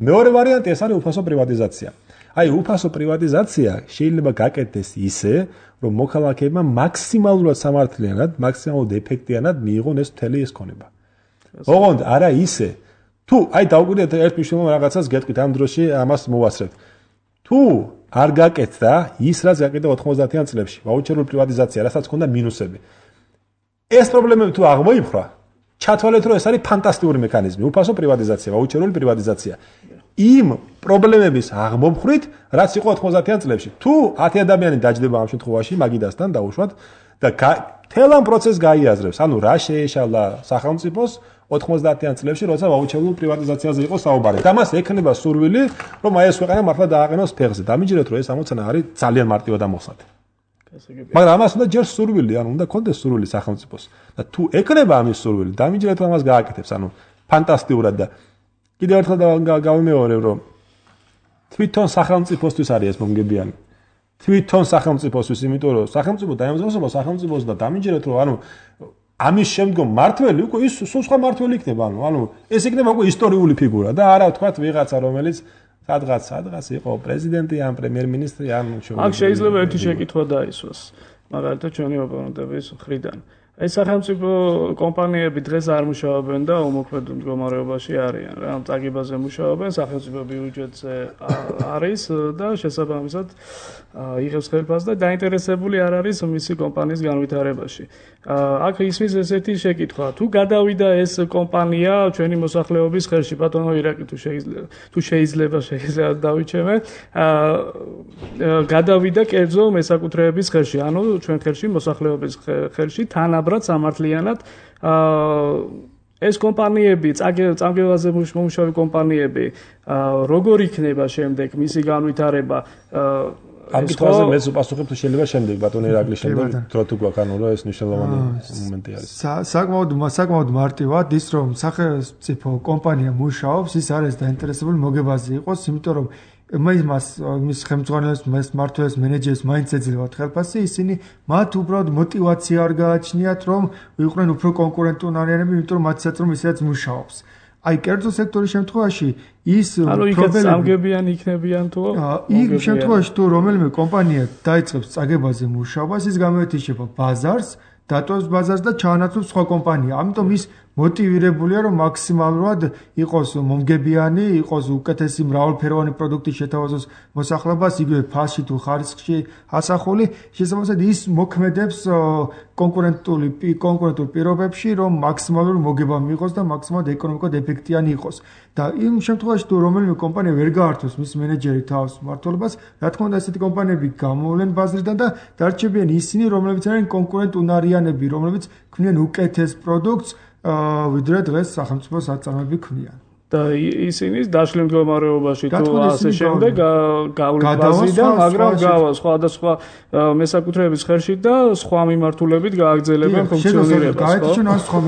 მეორე ვარიანტი ეს არის უფასო პრივატიზაცია. აი, უფასო პრივატიზაცია შეიძლება გაკეთდეს ისე, რომ მოქალაქეებმა მაქსიმალურად სამართლიანად, მაქსიმალურად ეფექტიანად მიიღონ ეს მთელი ეს ქონება. ოღონდ არა ისე თუ აი დავგვიდეთ ერთ მნიშვნელოვან რაღაცას გეტყვით ამ დროში ამას მოვასწრებთ. თუ არ გაკეთდა ის რაც გაკეთდა ოთხმოცდაათიან წლებში, ვაუჩერული პრივატიზაცია, რასაც ჰქონდა მინუსები. ეს პრობლემები თუ აღმოიფხვრა, ჩათვალეთ რომ ეს არის ფანტასტიკური მექანიზმი, უფასო პრივატიზაცია, ვაუჩერული პრივატიზაცია. იმ პრობლემების აღმოფხვით, რაც იყო ოთხმოცდაათიან წლებში. თუ ათი ადამიანი დაჯდება ამ შემთხვევაში, მაგიდასთან დაუშვათ და თელ ამ პროცესს გაიაზრებს, ანუ რა შეეშალა სახელმწიფოს ოთხმოცდაათიან წლებში, როცა ვაუჩერულ პრივატიზაციაზე იყო საუბარი. და მას ექნება სურვილი, რომ აი ეს ქვეყანა მართლა დააყენოს ფეხზე. დამიჯერეთ, რომ ეს ამოცანა არის ძალიან მარტივად ამოხსნათი. მაგრამ ამას უნდა ჯერ სურვილი, ანუ უნდა კონდეს სურვილი სახელმწიფოს. და თუ ექნება ამის სურვილი, დამიჯერეთ, რომ ამას გააკეთებს, ანუ ფანტასტიკურად და კიდევ ერთხელ გავიმეორებ, რომ თვითონ სახელმწიფოსთვის არის ეს მომგებიანი. თვითონ სახელმწიფოსთვის, იმიტომ რომ სახელმწიფო დაემსგავსება სახელმწიფოს და დამიჯერეთ, რომ ანუ ამის შემდგომ მართველი უკვე ის სულ სხვა მართველი იქნება, ანუ ანუ ეს იქნება უკვე ისტორიული ფიგურა და არა ვთქვათ ვიღაცა რომელიც სადღაც სადღაც იყო პრეზიდენტი ან პრემიერ-მინისტრი ან აქ შეიძლება ერთი შეკითხვა დაისვას მაგალითად ჩვენი ოპონენტების მხრიდან. ეს სახელმწიფო კომპანიები დღეს არ მუშაობენ და უმოქმედ მდგომარეობაში არიან რა, წაგებაზე მუშაობენ, სახელმწიფო ბიუჯეტზე არის და შესაბამისად იღებს ხელფასს და დაინტერესებული არ არის მისი კომპანიის განვითარებაში. აქ ისმის ესეთი შეკითხვა, თუ გადავიდა ეს კომპანია ჩვენი მოსახლეობის ხელში, ბატონო ირაკი თუ შეიძლება თუ შეიძლება შეიძლება დავიჩემე, გადავიდა კერძო მესაკუთრეების ხელში, ანუ ჩვენ ხელში მოსახლეობის ხელში თანაბრად სამართლიანად ეს კომპანიები, წამგებაზე მომუშავე კომპანიები, როგორ იქნება შემდეგ მისი განვითარება? ამ კითხვაზე მეც უპასუხებ თუ შეიძლება შემდეგ ბატონი ირაკლი შემდეგ დრო თუ გვაქვს ანუ რომ ეს მნიშვნელოვანი მომენტი არის. საკმაოდ საკმაოდ მარტივად ის რომ სახელმწიფო კომპანია მუშაობს, ის არის დაინტერესებული მოგებაზე იყოს, იმიტომ რომ მას მის ხელმძღვანელს, მას მმართველს, მენეჯერს მაინც ეძლებათ ხელფასი, ისინი მათ უბრალოდ мотиваცია არ გააჩნიათ, რომ იყვნენ უფრო კონკურენტუნარიანები, იმიტომ რომ მათსაც რომ ისედაც მუშაობს. აი კერძო სექტორის შემთხვევაში ის პრობლემები სამგებიანი იქნებიან თუ იმ შემთხვევაში თუ რომელიმე კომპანია დაიწყებს წაგებაზე მუშაობას, ის გამოეთიშება ბაზარს, დატოვებს ბაზარს და ჩაანაცვლებს სხვა კომპანია. ამიტომ ის მოტივირებულია რომ მაქსიმალურად იყოს მომგებიანი, იყოს უკეთესი მრავალფეროვანი პროდუქტი შეთავაზოს მოსახლეობას, იგივე ფასში თუ ხარისხში ასახული, შესაბამისად ის მოქმედებს კონკურენტული კონკურენტულ პირობებში, რომ მაქსიმალური მოგება მიიღოს და მაქსიმალურად ეკონომიკურად ეფექტიანი იყოს. და იმ შემთხვევაში თუ რომელიმე კომპანია ვერ გაართოს მის მენეჯერი თავს მმართველობას, რა თქმა უნდა ესეთი კომპანიები გამოვლენ ბაზრიდან და დარჩებიან ისინი, რომლებიც არიან კონკურენტუნარიანები, რომლებიც ქმნიან უკეთეს პროდუქტს ვიდრე დღეს სახელმწიფო საწარმოები ქმნიან. და ისინი დაშლილ მდგომარეობაში თუ ასე შემდეგ გავლენ ბაზიდან, მაგრამ გავა სხვადასხვა მესაკუთრეების ხელში და სხვა მიმართულებით გააგრძელებენ ფუნქციონირებას. გაეთიშონ ან სხვა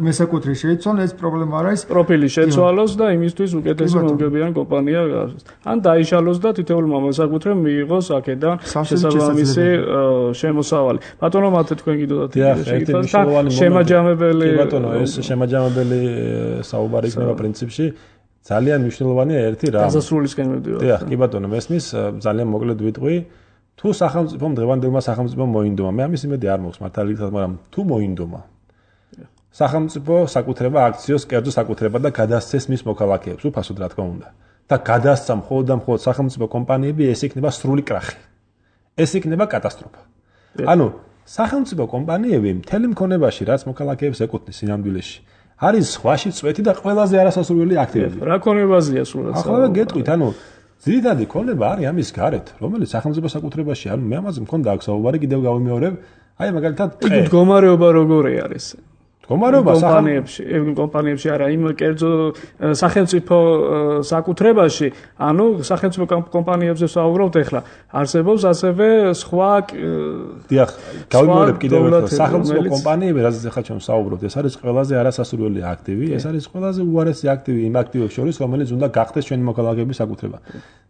მესაკუთრე შეიცვალონ, ეს პრობლემა არ არის. პროფილი შეცვალოს და იმისთვის უკეთესი მომგებიანი კომპანია გაარჩიოს. ან დაიშალოს და თითოეულმა მესაკუთრემ მიიღოს აქედან შესაბამისი შემოსავალი. ბატონო მათე თქვენ კიდევ და შემაჯამებელი ბატონო ეს შემაჯამებელი საუბარი იქნება პრინციპში ძალიან მნიშვნელოვანია ერთი რამ. დასასრულისკენ მივდივართ. დიახ, კი ბატონო, მესმის ძალიან მოკლედ ვიტყვი. თუ სახელმწიფომ დღევანდელმა სახელმწიფომ მოინდომა, მე ამის იმედი არ მაქვს მართალი გითხრათ, მაგრამ თუ მოინდომა. სახელმწიფო საკუთრება აქციოს კერძო საკუთრება და გადასცეს მის მოქალაქეებს, უფასოდ რა თქმა უნდა. და გადასცა მხოლოდ და მხოლოდ სახელმწიფო კომპანიები, ეს იქნება სრული კრახი. ეს იქნება კატასტროფა. ანუ სახელმწიფო კომპანიები მთელი მქონებაში, რაც მოქალაქეებს ეკუთვნის სინამდვილეში არის სხვაში წვეთი და ყველაზე არასასურველი აქტივები. რა ქონებაზეა სულად? ახლა გეტყვით, ანუ ძირითადი ქონება არის ამის გარეთ, რომელიც სახელმწიფო საკუთრებაში, ანუ მე ამაზე მქონდა აქ საუბარი, კიდევ გავიმეორებ, აი მაგალითად ტყე. მდგომარეობა როგორი არის? მდგომარეობა კომპანიებში, კომპანიებში არა, იმ კერძო სახელმწიფო საკუთრებაში, ანუ სახელმწიფო კომპანიებზე ვსაუბრობთ ახლა. არსებობს ასევე სხვა დიახ, გავიმეორებ კიდევ ერთხელ, სახელმწიფო კომპანიები, რაზეც ახლა ჩვენ ვსაუბრობთ, ეს არის ყველაზე არასასურველი აქტივი, ეს არის ყველაზე უარესი აქტივი იმ აქტივებს შორის, რომელიც უნდა გახდეს ჩვენი მოქალაქეების საკუთრება.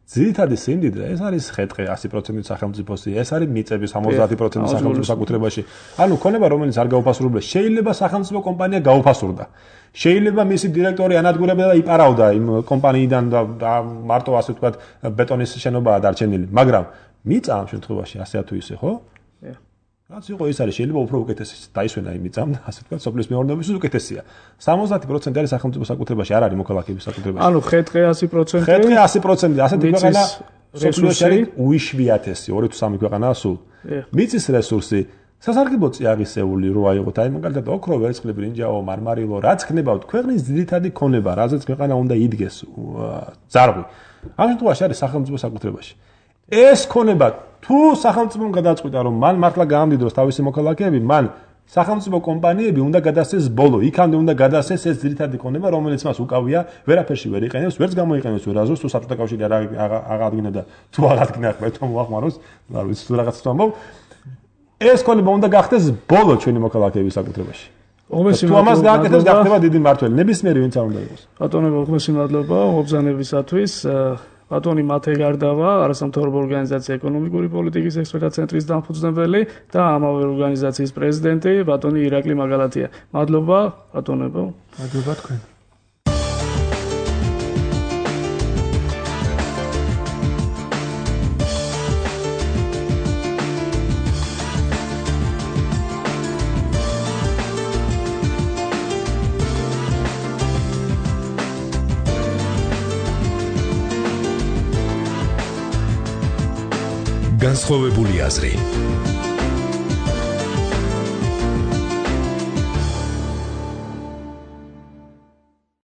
ძირითადი სიმდიდრე ეს არის ხეთყე ასი პროცენტი სახელმწიფოსი, ეს არის მიწები სამოცდაათი პროცენტი სახელმწიფო საკუთრებაში. ანუ ქონება რომელიც არ გაუფასურებულა, შეიძლება სახელმწიფო კომპანია გაუფასურდა. შეიძლება მისი დირექტორი ანადგურებდა და იპარავდა იმ კომპანიიდან და მარტო ასე ვთქვათ ბეტონის შენობაა დარჩენილი, მაგრამ მიწა ამ შემთხვევაში ასე თუ ისე, ხო? რაც იყო ის არის შეიძლება უფრო უკეთესი დაისვენა იმიწამ და ასე ვთქვათ სოფლის მეურნეობის უკეთესია. სამოცდაათი პროცენტი არის სახელმწიფო საკუთრებაში, არ არის მოქალაქეების საკუთრებაში. ანუ ხეთყე ასი პროცენტი. ხეთყე ასი პროცენტი, ასეთი ქვეყანა სოფლიოში არის უიშვიათესი, ორი თუ სამი ქვეყანაა სულ. მიწის რესურსი სასარგებლო წიაღისეული რო აიღოთ, აი მაგალითად ოქრო, ვერცხლი, ბრინჯაო, მარმარილო, რაც ხნებავთ, ქვეყნის ძირითადი ქონება, რაზეც ქვეყანა უნდა იდგეს ძარღვი. ამ შემთხვევაში არის სახელმწიფო საკუთრებაში. ეს ქონება თუ სახელმწიფომ გადაწყვიტა რომ მან მართლა გაამდიდროს თავისი მოქალაქეები, მან სახელმწიფო კომპანიები უნდა გადასცეს ბოლო, იქამდე უნდა გადასცეს ეს ძირითადი ქონება, რომელიც მას უკავია, ვერაფერში ვერ იყენებს, ვერც გამოიყენებს ვერაზოს, თუ საბჭოთა კავშირი არ აღადგინა და თუ აღადგინა მე თვითონ მოახმაროს, არ ვიცი თუ რაღაცა თამბობ. ეს ქონება უნდა გახდეს ბოლო ჩვენი მოქალაქეების საკუთრებაში. თუ ამას გააკეთებს, გახდება დიდი მმართველი, ნებისმიერი ვინც არ უნდა იყოს. ბატონო, უღმესი მადლობა მობრძანებისათვის. ბატონი მათე გარდავა, არასამთავრობო ორგანიზაცია ეკონომიკური პოლიტიკის ექსპერტთა ცენტრის დამფუძნებელი და ამავე ორგანიზაციის პრეზიდენტი ბატონი ირაკლი მაგალათია. მადლობა ბატონებო. მადლობა თქვენ. განსხვავებული აზრი